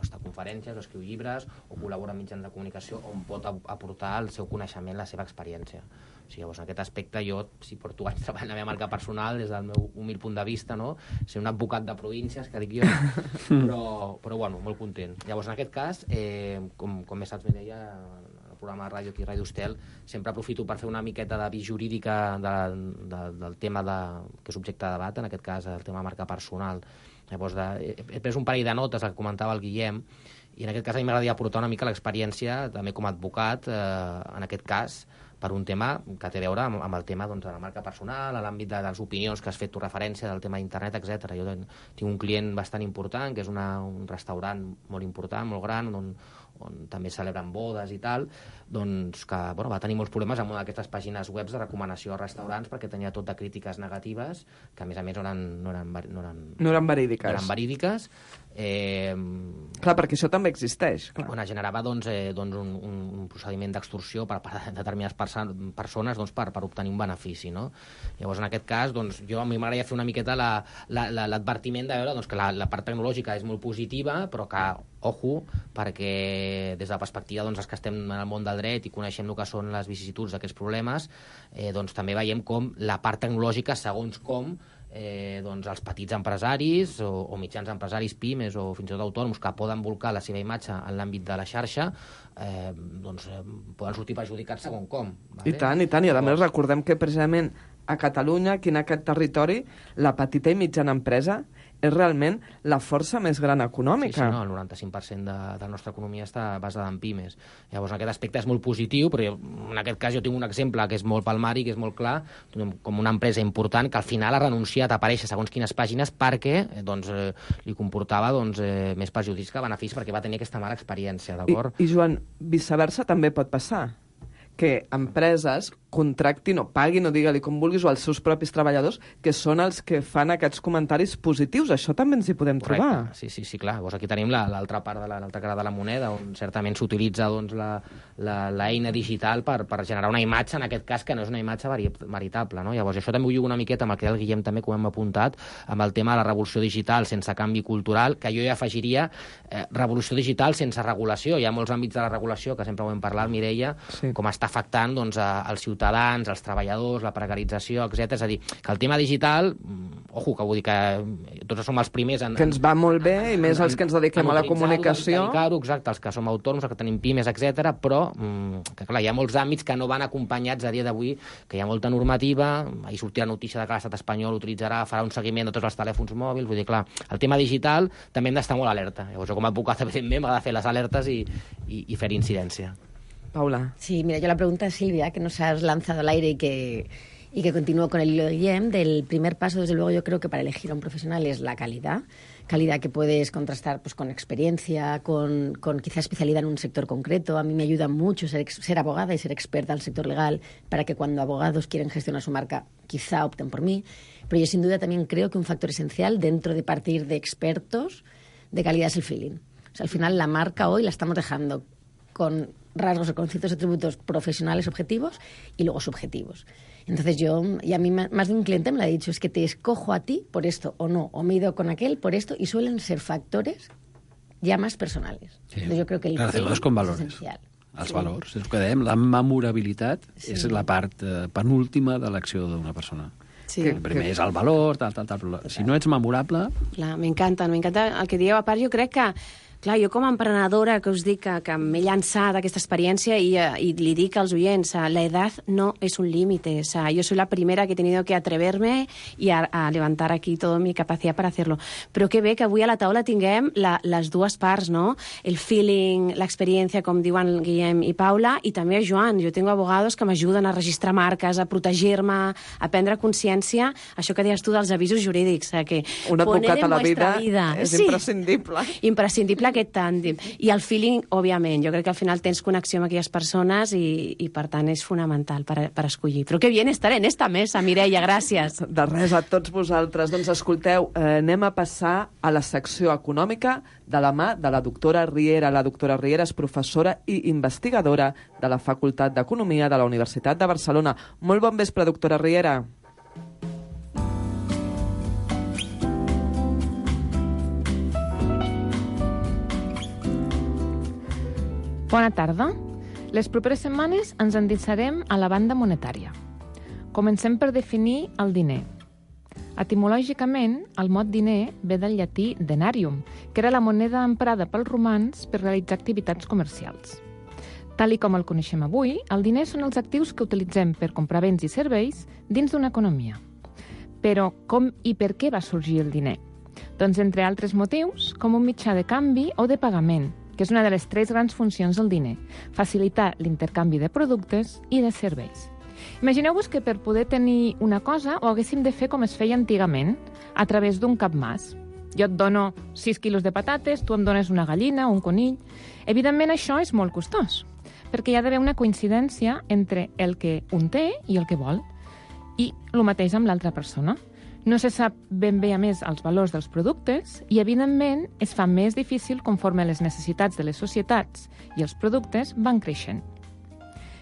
està a conferències, o escriu llibres, o col·labora en mitjans de comunicació, on pot aportar el seu coneixement, la seva experiència. O sigui, llavors, en aquest aspecte, jo, si porto anys treballant la meva marca personal, des del meu humil punt de vista, no? Ser un advocat de províncies, que dic jo, però bueno, molt content. Llavors, en aquest cas, com bé saps, Mireia, el programa de ràdio aquí, Ràdio Estel, sempre aprofito per fer una miqueta de vista jurídica del tema que és objecte de debat, en aquest cas el tema de marca personal. Llavors, he pres un parell de notes, el que comentava el Guillem, i en aquest cas a mi m'agradaria aportar una mica l'experiència, també com a advocat, en aquest cas, per un tema que té a veure amb el tema de la marca personal, a l'àmbit de les opinions que has fet tu referència del tema d'internet, etc. Jo tinc un client bastant important, que és un restaurant molt important, molt gran, on també celebren bodes i tal, doncs que va tenir molts problemes amb una d'aquestes pàgines web de recomanació a restaurants perquè tenia tot de crítiques negatives que a més no eren verídiques. Clar, perquè això també existeix. On es generava un procediment d'extorsió per part de determinades persones per obtenir un benefici, no? Llavors, en aquest cas, jo a mi m'agradaria fer una miqueta l'advertiment de veure que la part tecnològica és molt positiva, però que, ojo, perquè des de la perspectiva els que estem en el món del dret i coneixem el que són les vicissituds d'aquests problemes, també veiem com la part tecnològica, segons com, els petits empresaris o mitjans empresaris, pimes o fins i tot autònoms que poden volcar la seva imatge en l'àmbit de la xarxa poden sortir perjudicats segons com. I tant, i a més recordem que precisament a Catalunya, aquí en aquest territori, la petita i mitjana empresa és realment la força més gran econòmica. Sí, el 95% de la nostra economia està basada en pimes. Llavors, en aquest aspecte és molt positiu, però en aquest cas jo tinc un exemple que és molt palmari, que és molt clar, com una empresa important que al final ha renunciat a aparèixer segons quines pàgines perquè li comportava més perjudicis que beneficis perquè va tenir aquesta mala experiència, d'acord? I Joan, viceversa també pot passar que empreses contractin o paguin, o digue-li com vulguis, o els seus propis treballadors, que són els que fan aquests comentaris positius. Això també ens hi podem trobar. Sí, clar. Llavors aquí tenim l'altra part, l'altra cara de la moneda, on certament s'utilitza l'eina digital per generar una imatge, en aquest cas, que no és una imatge veritable, no? Llavors això també ho lligo una miqueta amb el que el Guillem també, com hem apuntat, amb el tema de la revolució digital sense canvi cultural, que jo ja afegiria revolució digital sense regulació. Hi ha molts àmbits de la regulació, que sempre ho hem parlat, Mireia, com està afectant als ciutadans, als treballadors, la precarització, etc. És a dir, que el tema digital, ojo, que vull dir que tots som els primers que ens va molt bé, i més els que ens dediquem a la comunicació. Exacte, els que som autònoms, els que tenim pimes, etc. Però, que clar, hi ha molts àmbits que no van acompanyats a dia d'avui, que hi ha molta normativa, ahir sortirà la notícia de que l'estat espanyol farà un seguiment de tots els telèfons mòbils, vull dir, clar, el tema digital també hem d'estar molt alerta. Llavors, jo com a advocat, evidentment, m'ha de fer les alertes i fer incidència. Paula. Sí, mira, yo la pregunta a Silvia, que nos has lanzado al aire y que continúo con el hilo de Guillem, del primer paso, desde luego, yo creo que para elegir a un profesional es la calidad que puedes contrastar pues con experiencia, con quizá especialidad en un sector concreto. A mí me ayuda mucho ser abogada y ser experta en el sector legal para que cuando abogados quieren gestionar su marca, quizá opten por mí. Pero yo sin duda también creo que un factor esencial dentro de partir de expertos de calidad es el feeling. O sea, al final la marca hoy la estamos dejando con rasgos o con ciertos atributos profesionales objetivos y luego subjetivos. Entonces y a mí más de un cliente me lo ha dicho, es que te escojo a ti por esto o no, o me he ido con aquel por esto, y suelen ser factores ja més personals. Sí. Entonces yo creo que el feeling és essencial. Els valors, és el que dèiem, la memorabilitat és la part penúltima de l'acció d'una persona. Sí. El primer és el valor, tal. Si no ets memorable... Clar, m'encanta el que dieu. A part, jo crec que clar, jo com a emprenedora que us dic que m'he llançat aquesta experiència y li dic als oients, la edad no es un límite. O sea, yo soy la primera que he tenido que atreverme y a levantar aquí toda mi capacidad para hacerlo. Però que bé que avui a la taula tinguem les dues parts, no? El feeling, l'experiència, com diuen Guillem i Paula, i també a Joan. Jo tengo abogados que m'ajuden a registrar marques, a protegir-me, a prendre consciència, això que deies tu dels avisos jurídics. Que un advocat a la vida és imprescindible. Imprescindible aquest tàndem. I el feeling, òbviament, jo crec que al final tens connexió amb aquelles persones i per tant és fonamental per escollir. Però que bien estar en esta mesa, Mireia, gràcies. De res, a tots vosaltres. Doncs escolteu, anem a passar a la secció econòmica de la mà de la doctora Riera. La doctora Riera és professora i investigadora de la Facultat d'Economia de la Universitat de Barcelona. Molt bon vespre, doctora Riera. Bona tarda. Les properes setmanes ens endinsarem a la banda monetària. Comencem per definir el diner. Etimològicament, el mot diner ve del llatí denarium, que era la moneda emprada pels romans per realitzar activitats comercials. Tal i com el coneixem avui, el diner són els actius que utilitzem per comprar béns i serveis dins d'una economia. Però com i per què va sorgir el diner? Doncs, entre altres motius, com un mitjà de canvi o de pagament, que és una de les 3 grans funcions del diner: facilitar l'intercanvi de productes i de serveis. Imagineu-vos que per poder tenir una cosa ho haguéssim de fer com es feia antigament, a través d'un capmàs. Jo et dono 6 quilos de patates, tu em dones una gallina o un conill. Evidentment, això és molt costós, perquè hi ha d'haver una coincidència entre el que un té i el que vol. I el mateix amb l'altra persona. No se sap ben bé, a més, els valors dels productes i, evidentment, es fa més difícil conforme les necessitats de les societats i els productes van creixent.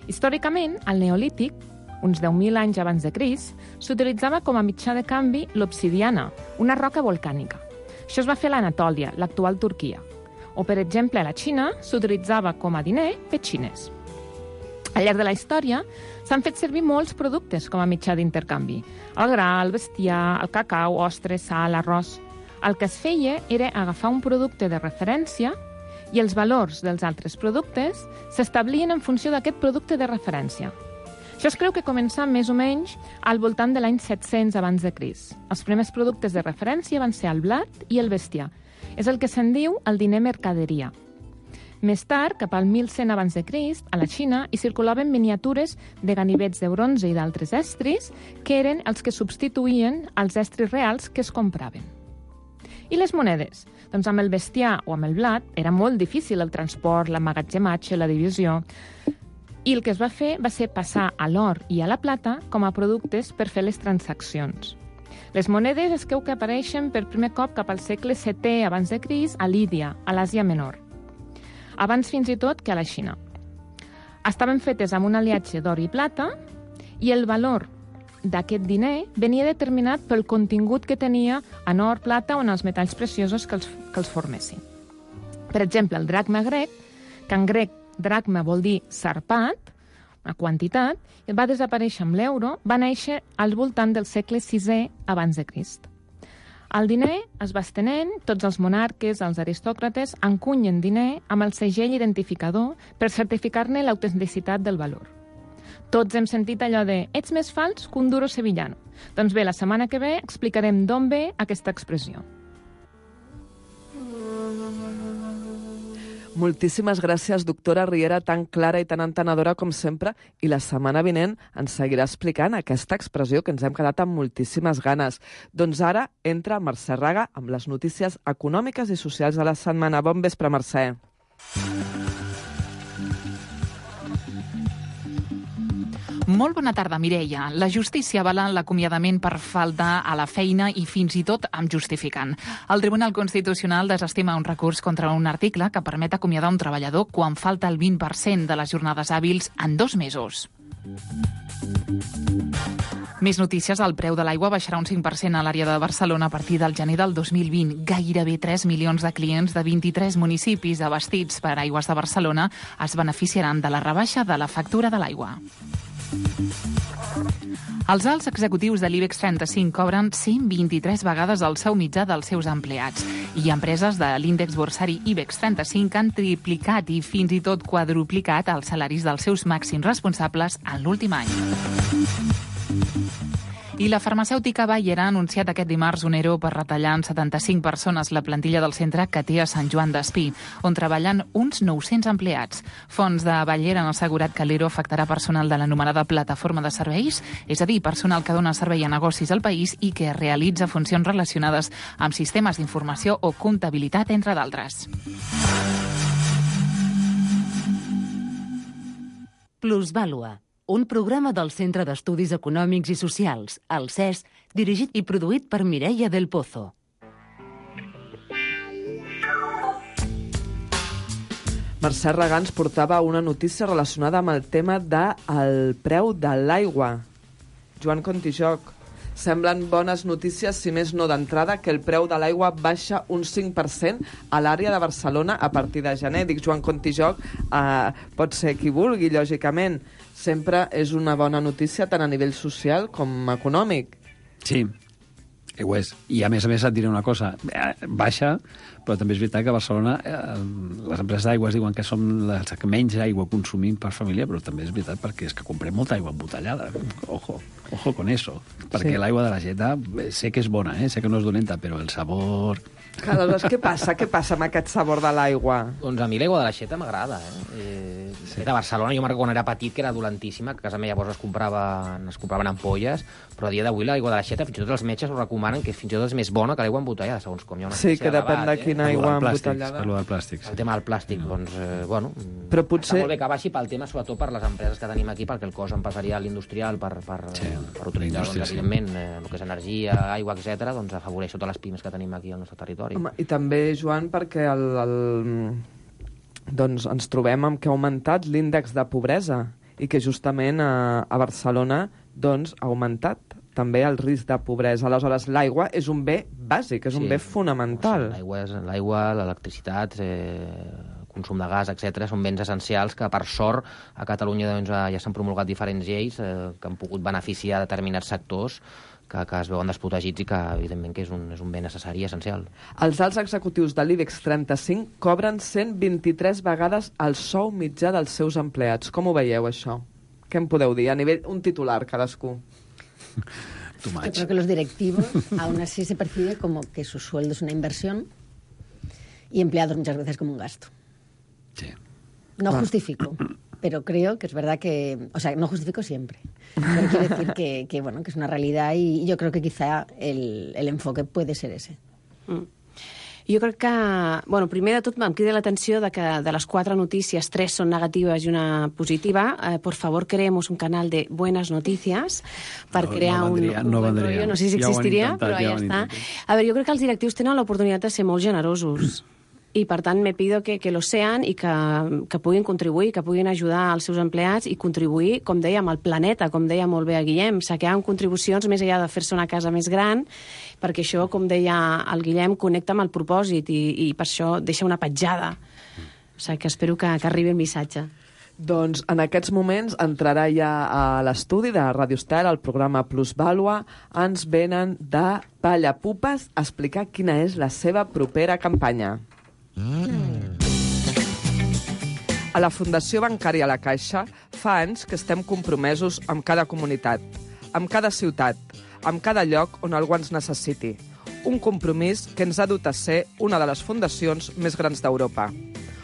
Històricament, al Neolític, uns 10.000 anys abans de Crist, s'utilitzava com a mitjà de canvi l'obsidiana, una roca volcànica. Això es va fer a l'Anatòlia, l'actual Turquia. O, per exemple, a la Xina s'utilitzava com a diner petxines. Al llarg de la història s'han fet servir molts productes com a mitjà d'intercanvi. El gra, el bestiar, el cacau, ostres, sal, arròs. El que es feia era agafar un producte de referència i els valors dels altres productes s'establien en funció d'aquest producte de referència. Això es creu que comença més o menys al voltant de l'any 700 abans de Crist. Els primers productes de referència van ser el blat i el bestiar. És el que se'n diu el diner mercaderia. Més tard, cap al 1100 abans de Crist, a la Xina hi circulaven miniatures de ganivets de bronze i d'altres estris que eren els que substituïen els estris reals que es compraven. I les monedes? Doncs amb el bestiar o amb el blat era molt difícil el transport, l'emmagatzematge, la divisió. I el que es va fer va ser passar a l'or i a la plata com a productes per fer les transaccions. Les monedes es creu que apareixen per primer cop cap al segle VII abans de Crist a Lídia, a l'Àsia Menor. Abans fins i tot que a la Xina. Estaven fetes amb un aliatge d'or i plata i el valor d'aquest diner venia determinat pel contingut que tenia en or, plata o en els metalls preciosos que els formessin. Per exemple, el dracma grec, que en grec dracma vol dir sarpat, una quantitat, i va desaparèixer amb l'euro, va néixer al voltant del segle VI abans de Crist. El diner es va estenent, tots els monarques, els aristòcrates, encunyen diner amb el segell identificador per certificar-ne l'autenticitat del valor. Tots hem sentit allò de «ets més fals que un duro sevillano». Doncs bé, la setmana que ve explicarem d'on ve aquesta expressió. Moltíssimes gràcies, doctora Riera, tan clara i tan entenedora com sempre, i la setmana vinent ens seguirà explicant aquesta expressió que ens hem quedat amb moltíssimes ganes. Doncs ara entra Mercè Raga amb les notícies econòmiques i socials de la setmana. Bon vespre, Mercè. Molt bona tarda, Mireia. La justícia avala l'acomiadament per falta a la feina i fins i tot amb justificant. El Tribunal Constitucional desestima un recurs contra un article que permet acomiadar un treballador quan falta el 20% de les jornades hàbils en 2 mesos. Més notícies. El preu de l'aigua baixarà un 5% a l'àrea de Barcelona a partir del gener del 2020. Gairebé 3 milions de clients de 23 municipis abastits per Aigües de Barcelona es beneficiaran de la rebaixa de la factura de l'aigua. Els alts executius de l'IBEX 35 cobren 123 vegades el sou mitjà dels seus empleats i empreses de l'índex borsari IBEX 35 han triplicat i fins i tot quadruplicat els salaris dels seus màxims responsables en l'últim any. I la farmacèutica Bayer ha anunciat aquest dimarts un ERO per retallar en 75 persones la plantilla del centre que té a Sant Joan d'Espí, on treballen uns 900 empleats. Fonts de Bayer han assegurat que l'ERO afectarà personal de l'anomenada plataforma de serveis, és a dir, personal que dona servei a negocis al país i que realitza funcions relacionades amb sistemes d'informació o comptabilitat, entre d'altres. Plusvàlua, un programa del Centre d'Estudis Econòmics i Socials, el CES, dirigit i produït per Mireia del Pozo. Mercè Raga ens portava una notícia relacionada amb el tema del preu de l'aigua. Joan Contijoc, semblen bones notícies, si més no d'entrada, que el preu de l'aigua baixa un 5% a l'àrea de Barcelona a partir de gener. Dic Joan Contijoc, pot ser qui vulgui, lògicament. Sempre és una bona notícia tant a nivell social com econòmic. Sí, ho és. I a més et diré una cosa. Baixa, però també és veritat que a Barcelona les empreses d'aigües diuen que som les que menys aigua consumim per família, però també és veritat perquè és que comprem molta aigua embotellada. Ojo con eso. Perquè l'aigua de la Jeta sé que és bona, sé que no és dolenta, però el sabor Aleshores, què passa amb aquest sabor de l'aigua? Doncs a mi l'aigua de l'aixeta m'agrada, Sí. A Barcelona, jo quan era petit, que era dolentíssima, que a casa meva llavors es compraven ampolles, però a dia d'avui l'aigua de l'aixeta, fins i tot els metges ho recomanen, que fins i tot és més bona que l'aigua embotellada, segons com hi ha una Sí, que depèn de quina aigua embotellada. Per del plàstic. El tema del plàstic, doncs, bueno, però potser... està molt bé que baixi pel tema, sobretot per les empreses que tenim aquí, perquè el cost empresarial industrial per utilitzar, doncs, evidentment, el que és energia, aigua, etc., doncs afavoreix totes les pimes que tenim aquí al nostre territori. Home, i també, Joan, perquè doncs ens trobem amb que ha augmentat l'índex de pobresa i que justament a Barcelona doncs, ha augmentat també el risc de pobresa. Aleshores, l'aigua és un bé bàsic, és un bé fonamental. L'aigua, l'electricitat, el consum de gas, etc., són béns essencials que, per sort, a Catalunya doncs, ja s'han promulgat diferents lleis que han pogut beneficiar determinats sectors que es veuen desprotegits i que, evidentment, que és un bé necessari i essencial. Els alts executius de l'IBEX 35 cobren 123 vegades el sou mitjà dels seus empleats. Com ho veieu, això? Què em podeu dir? A nivell, un titular, cadascú. Yo creo que los directivos aún así se percibe como que su sueldo es una inversión y empleados muchas veces como un gasto. Sí. No justifico, pero creo que es verdad que... O sea, no justifico siempre. Pero quiero decir que bueno, que es una realidad y yo creo que quizá el enfoque puede ser ese. Jo crec que, bueno, primer de tot em crida l'atenció que de les 4 notícies 3 són negatives i una positiva. Por favor, creemos un canal de buenas noticias per crear un buen rollo. No sé si existiria, però ja està. A veure, jo crec que els directius tenen l'oportunitat de ser molt generosos. I, per tant, me pido que lo sean i que puguin contribuir, que puguin ajudar els seus empleats i contribuir, com dèiem, al planeta, com deia molt bé a Guillem, saquear amb contribucions més enllà de fer-se una casa més gran, perquè això, com deia el Guillem, connecta amb el propòsit i per això deixa una petjada. O sigui, que espero que arribi el missatge. Doncs en aquests moments entrarà ja a l'estudi de Radio Estel, al programa Plusvàlua. Ens venen de Pallapupes a explicar quina és la seva propera campanya. A la Fundació Bancària La Caixa fa anys que estem compromesos amb cada comunitat, amb cada ciutat, amb cada lloc on algú ens necessiti. Un compromís que ens ha dut a ser una de les fundacions més grans d'Europa.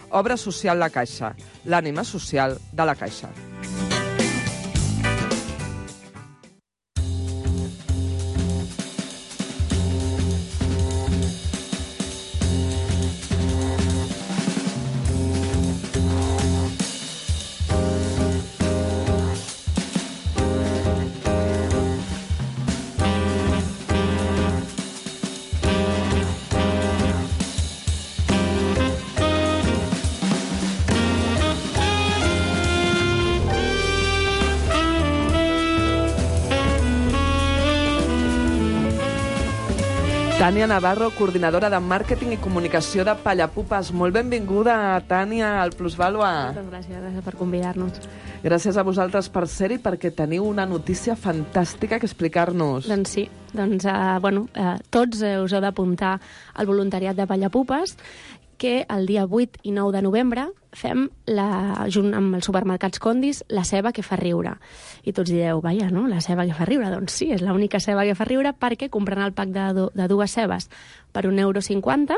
Obra Social La Caixa, l'ànima social de La Caixa. Tània Navarro, coordinadora de màrqueting i comunicació de Pallapupes. Molt benvinguda, Tània, al Plusvàlua. Moltes gràcies per convidar-nos. Gràcies a vosaltres per ser-hi, perquè teniu una notícia fantàstica que explicar-nos. Doncs sí, tots us heu d'apuntar al voluntariat de Pallapupes, que el dia 8 i 9 de novembre fem, junt amb els supermercats Condis, la ceba que fa riure. I tots direu, vaja, no?, la ceba que fa riure. Doncs sí, és l'única ceba que fa riure, perquè comprant el pack de 2 cebes per €1,50,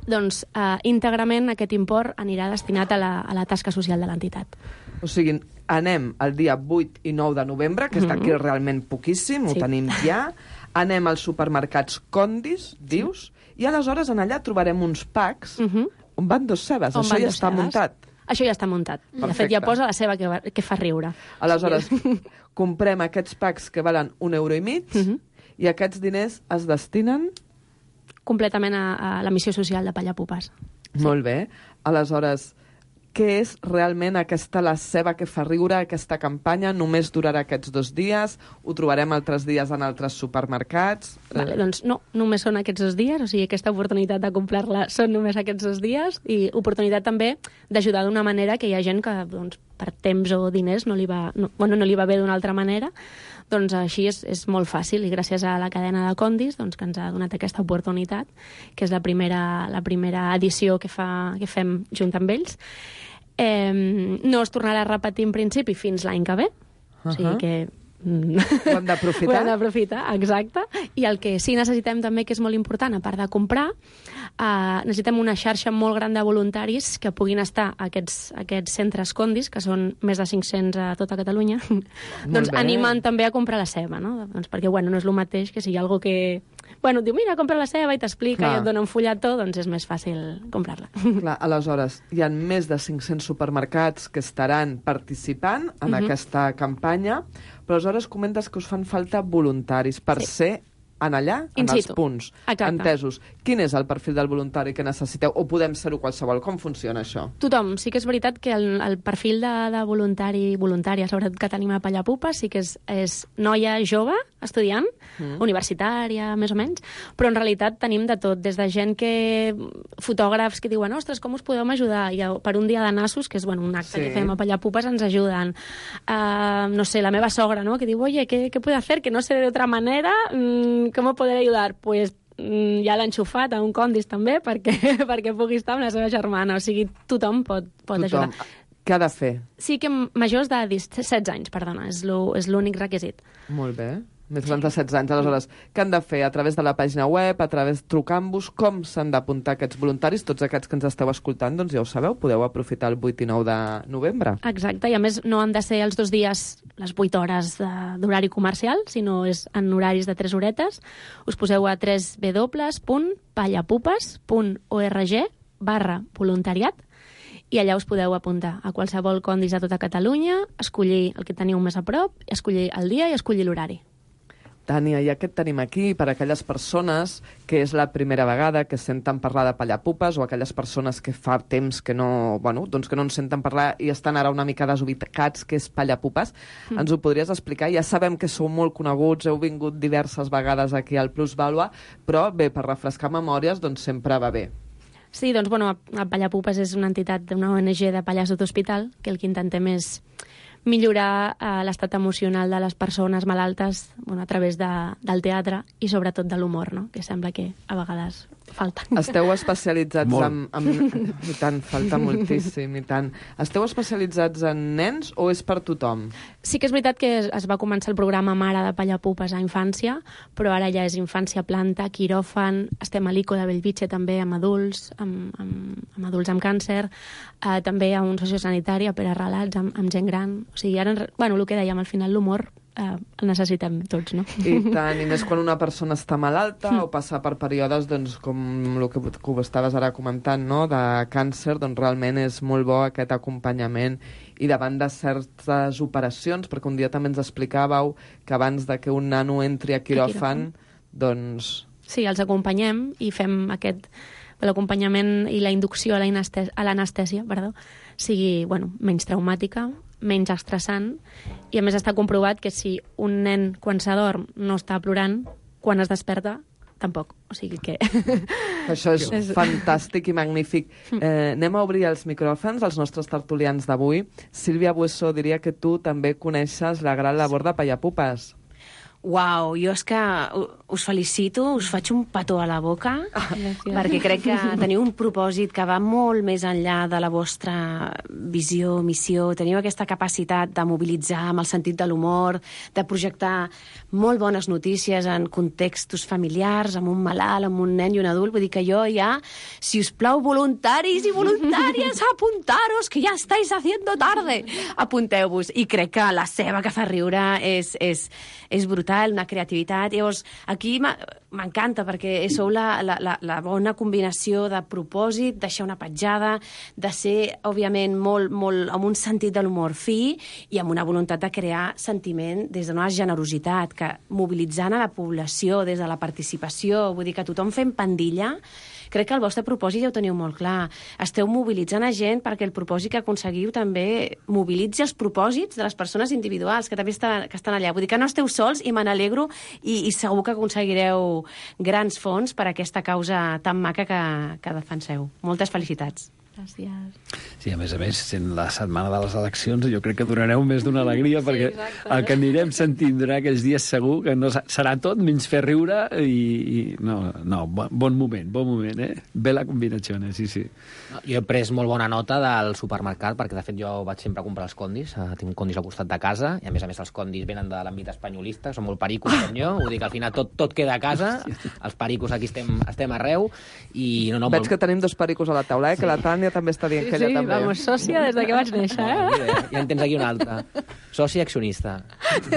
doncs íntegrament aquest import anirà destinat a la tasca social de l'entitat. O sigui, anem el dia 8 i 9 de novembre, que és d'aquí realment poquíssim, ho tenim ja, anem als supermercats Condis, dius, i aleshores en allà trobarem uns packs on van 2 cebes. Això ja està muntat. Això ja està muntat. De fet, ja posa la ceba que fa riure. Aleshores, comprem aquests packs que valen €1,50 i aquests diners es destinen... Completament a la missió social de Pallapupes. Molt bé. Aleshores, què és realment la ceba que fa riure, aquesta campanya? Només durarà aquests 2 dies? Ho trobarem altres dies en altres supermercats? Vale, doncs no, només són aquests 2 dies, o sigui, aquesta oportunitat de comprar-la són només aquests 2 dies, i oportunitat també d'ajudar d'una manera que hi ha gent que, doncs, per temps o diners no li va bé d'una altra manera. Doncs així és molt fàcil, i gràcies a la cadena de Condis, doncs, que ens ha donat aquesta oportunitat, que és la primera edició que fem junt amb ells. No es tornarà a repetir en principi fins l'any que ve, o sigui que Ho hem d'aprofitar. Ho hem d'aprofitar, exacte. I el que sí necessitem també, que és molt important, a part de comprar, necessitem una xarxa molt gran de voluntaris que puguin estar a aquests centres Condis, que són més de 500 a tota Catalunya, doncs animant també a comprar la ceba, no? Doncs perquè, bueno, no és el mateix que si hi ha algú que... Bueno, et diu, mira, compra la ceba i t'explica i et dona un fulletó, doncs és més fàcil comprar-la. Clar, aleshores, hi ha més de 500 supermercats que estaran participant en aquesta campanya, però aleshores comentes que us fan falta voluntaris per ser en allà, en els punts. Exacte. Entesos. Quin és el perfil del voluntari que necessiteu? O podem ser-ho qualsevol? Com funciona això? Tothom. Sí que és veritat que el perfil de voluntari, voluntària, sobretot que tenim a Pallapupes, sí que és noia jove, estudiant, universitària, més o menys, però en realitat tenim de tot, des de gent que... fotògrafs que diuen, ostres, com us podeu ajudar? I per un dia de nassos, que és un acte que fem a Pallapupes, ens ajuden. No sé, la meva sogra, ¿no? Que diu, oye, ¿qué puedo hacer? Que no sé de otra manera... ¿Cómo poder ayudar? Pues ja l'ha enxufat a un Condis també perquè pugui estar amb la seva germana. O sigui, tothom pot ajudar. Què ha de fer? Sí que majors de 16 anys, perdona, és l'únic requisit. Molt bé. Més grans de 16 anys. Aleshores, què han de fer? A través de la pàgina web, a través trucant-vos, com s'han d'apuntar aquests voluntaris? Tots aquests que ens esteu escoltant, doncs ja ho sabeu, podeu aprofitar el 8 i 9 de novembre. Exacte, i a més no han de ser els 2 dies, les 8 hores d'horari comercial, sinó és en horaris de 3 horetes. Us poseu a www.pallapupes.org/voluntariat i allà us podeu apuntar a qualsevol Condis de tota Catalunya, escollir el que teniu més a prop, escollir el dia i escollir l'horari. Tània, ja que et tenim aquí, per a aquelles persones que és la primera vegada que senten parlar de Pallapupes o aquelles persones que fa temps que no, doncs que no en senten parlar i estan ara una mica desubicats, que és Pallapupes, ens ho podries explicar? Ja sabem que sou molt coneguts, heu vingut diverses vegades aquí al Plusvàlua, però bé, per refrescar memòries, doncs sempre va bé. Sí, doncs, a Pallapupes és una entitat d'una ONG de Pallars d'Hospital, que el que intentem és millorar l'estat emocional de les persones malaltes a través del teatre i sobretot de l'humor, no? Que sembla que a vegades falta. Esteu especialitzats I tant, falta moltíssim, i tant. Esteu especialitzats en nens o és per tothom? Sí que és veritat que es va començar el programa Mare de Pallapupes a infància, però ara ja és infància planta, quiròfan, estem a l'ICO de Bellvitge també amb adults, amb adults amb càncer, també a un sociosanitari, a Pere Relats, amb gent gran. O sigui, ara, el que dèiem, al final l'humor el necessitem tots, no? I tant, i més quan una persona està malalta o passa per períodes, doncs, com el que ho estaves ara comentant, no?, de càncer, doncs realment és molt bo aquest acompanyament i davant de certes operacions, perquè un dia també ens explicàveu que abans de que un nano entri a quiròfan, doncs... Sí, els acompanyem i fem l'acompanyament i la inducció a l'anestèsia, sigui, menys traumàtica, menys estressant, i a més està comprovat que si un nen quan s'adorm no està plorant, quan es desperta tampoc, o sigui que... Això és fantàstic i magnífic. Anem a obrir els micròfons als nostres tertulians d'avui. Sílvia Bueso, diria que tu també coneixes la gran labor de Pallapupes. Uau, jo és que us felicito, us faig un petó a la boca, perquè crec que teniu un propòsit que va molt més enllà de la vostra visió, missió. Teniu aquesta capacitat de mobilitzar amb el sentit de l'humor, de projectar molt bones notícies en contextos familiars, amb un malalt, amb un nen i un adult. Vull dir que jo ja, si us plau, voluntaris i voluntàries, apuntaros, que ja estáis haciendo tarde. Apunteu-vos. I crec que la ceba que fa riure és brutal, una creativitat. Llavors, aquí m'encanta perquè sou la bona combinació de propòsit, deixar una petjada, de ser, òbviament, molt amb un sentit de l'humor fi i amb una voluntat de crear sentiment des d'una generositat, que mobilitzant a la població des de la participació, vull dir que tothom fent pandilla. Crec que el vostre propòsit ja ho teniu molt clar. Esteu mobilitzant a gent perquè el propòsit que aconseguiu també mobilitzi els propòsits de les persones individuals que també estan allà. Vull dir que no esteu sols i me n'alegro i segur que aconseguireu grans fons per a aquesta causa tan maca que defenseu. Moltes felicitats. Gràcies. Sí, a més, sent la setmana de les eleccions, jo crec que donareu més d'una alegria, perquè el que anirem sentint durant aquells dies segur que no serà tot menys fer riure i no, bon moment, eh? Bella combinació, sí. Jo he pres molt bona nota del supermercat, perquè de fet jo vaig sempre a comprar els condis, tinc condis al costat de casa, i a més els condis venen de l'àmbit espanyolista, són molt pericos com jo, vull dir que al final tot queda a casa, els pericos aquí estem arreu, i no... Veig que tenim 2 pericos a la taula, que la Tània també està dient que ella també. Sí, vamos, sòcia des que vaig néixer, Ja en tens aquí una altra. Soci accionista.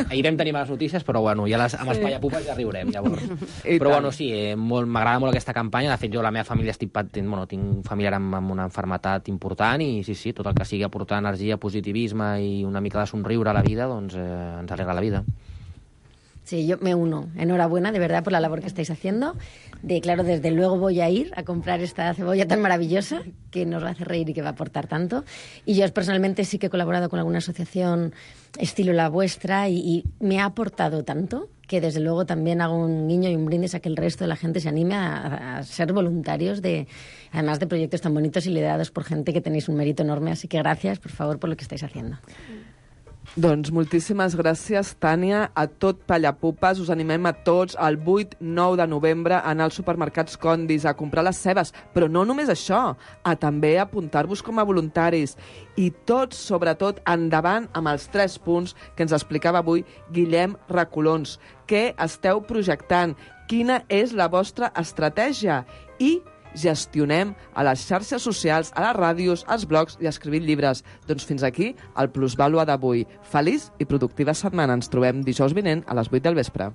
Ahir vam tenir males notícies, però bueno, ja amb els pallapupes ja riurem, llavors. Però bueno, sí, m'agrada molt aquesta campanya, de fet jo la meva família tinc familiar amb una malaltia important i sí, tot el que sigui aportar energia, positivisme i una mica de somriure a la vida, doncs ens alegra la vida. Sí, yo me uno. Enhorabuena, de verdad, por la labor que estáis haciendo. Claro, desde luego voy a ir a comprar esta cebolla tan maravillosa que nos va a hacer reír y que va a aportar tanto. Y yo personalmente sí que he colaborado con alguna asociación estilo la vuestra y me ha aportado tanto que desde luego también hago un guiño y un brindis a que el resto de la gente se anime a ser voluntarios además de proyectos tan bonitos y liderados por gente que tenéis un mérito enorme. Así que gracias, por favor, por lo que estáis haciendo. Doncs moltíssimes gràcies, Tània, a tot Pallapupes. Us animem a tots el 8-9 de novembre a anar als supermercats Condis a comprar les cebes, però no només això, a també apuntar-vos com a voluntaris. I tots, sobretot, endavant amb els 3 punts que ens explicava avui Guillem Recolons. Què esteu projectant? Quina és la vostra estratègia? I gestionem a les xarxes socials, a les ràdios, als blogs i escrivint llibres. Doncs fins aquí el Plusvàlua d'avui. Feliç i productiva setmana. Ens trobem dijous vinent a les 8 del vespre.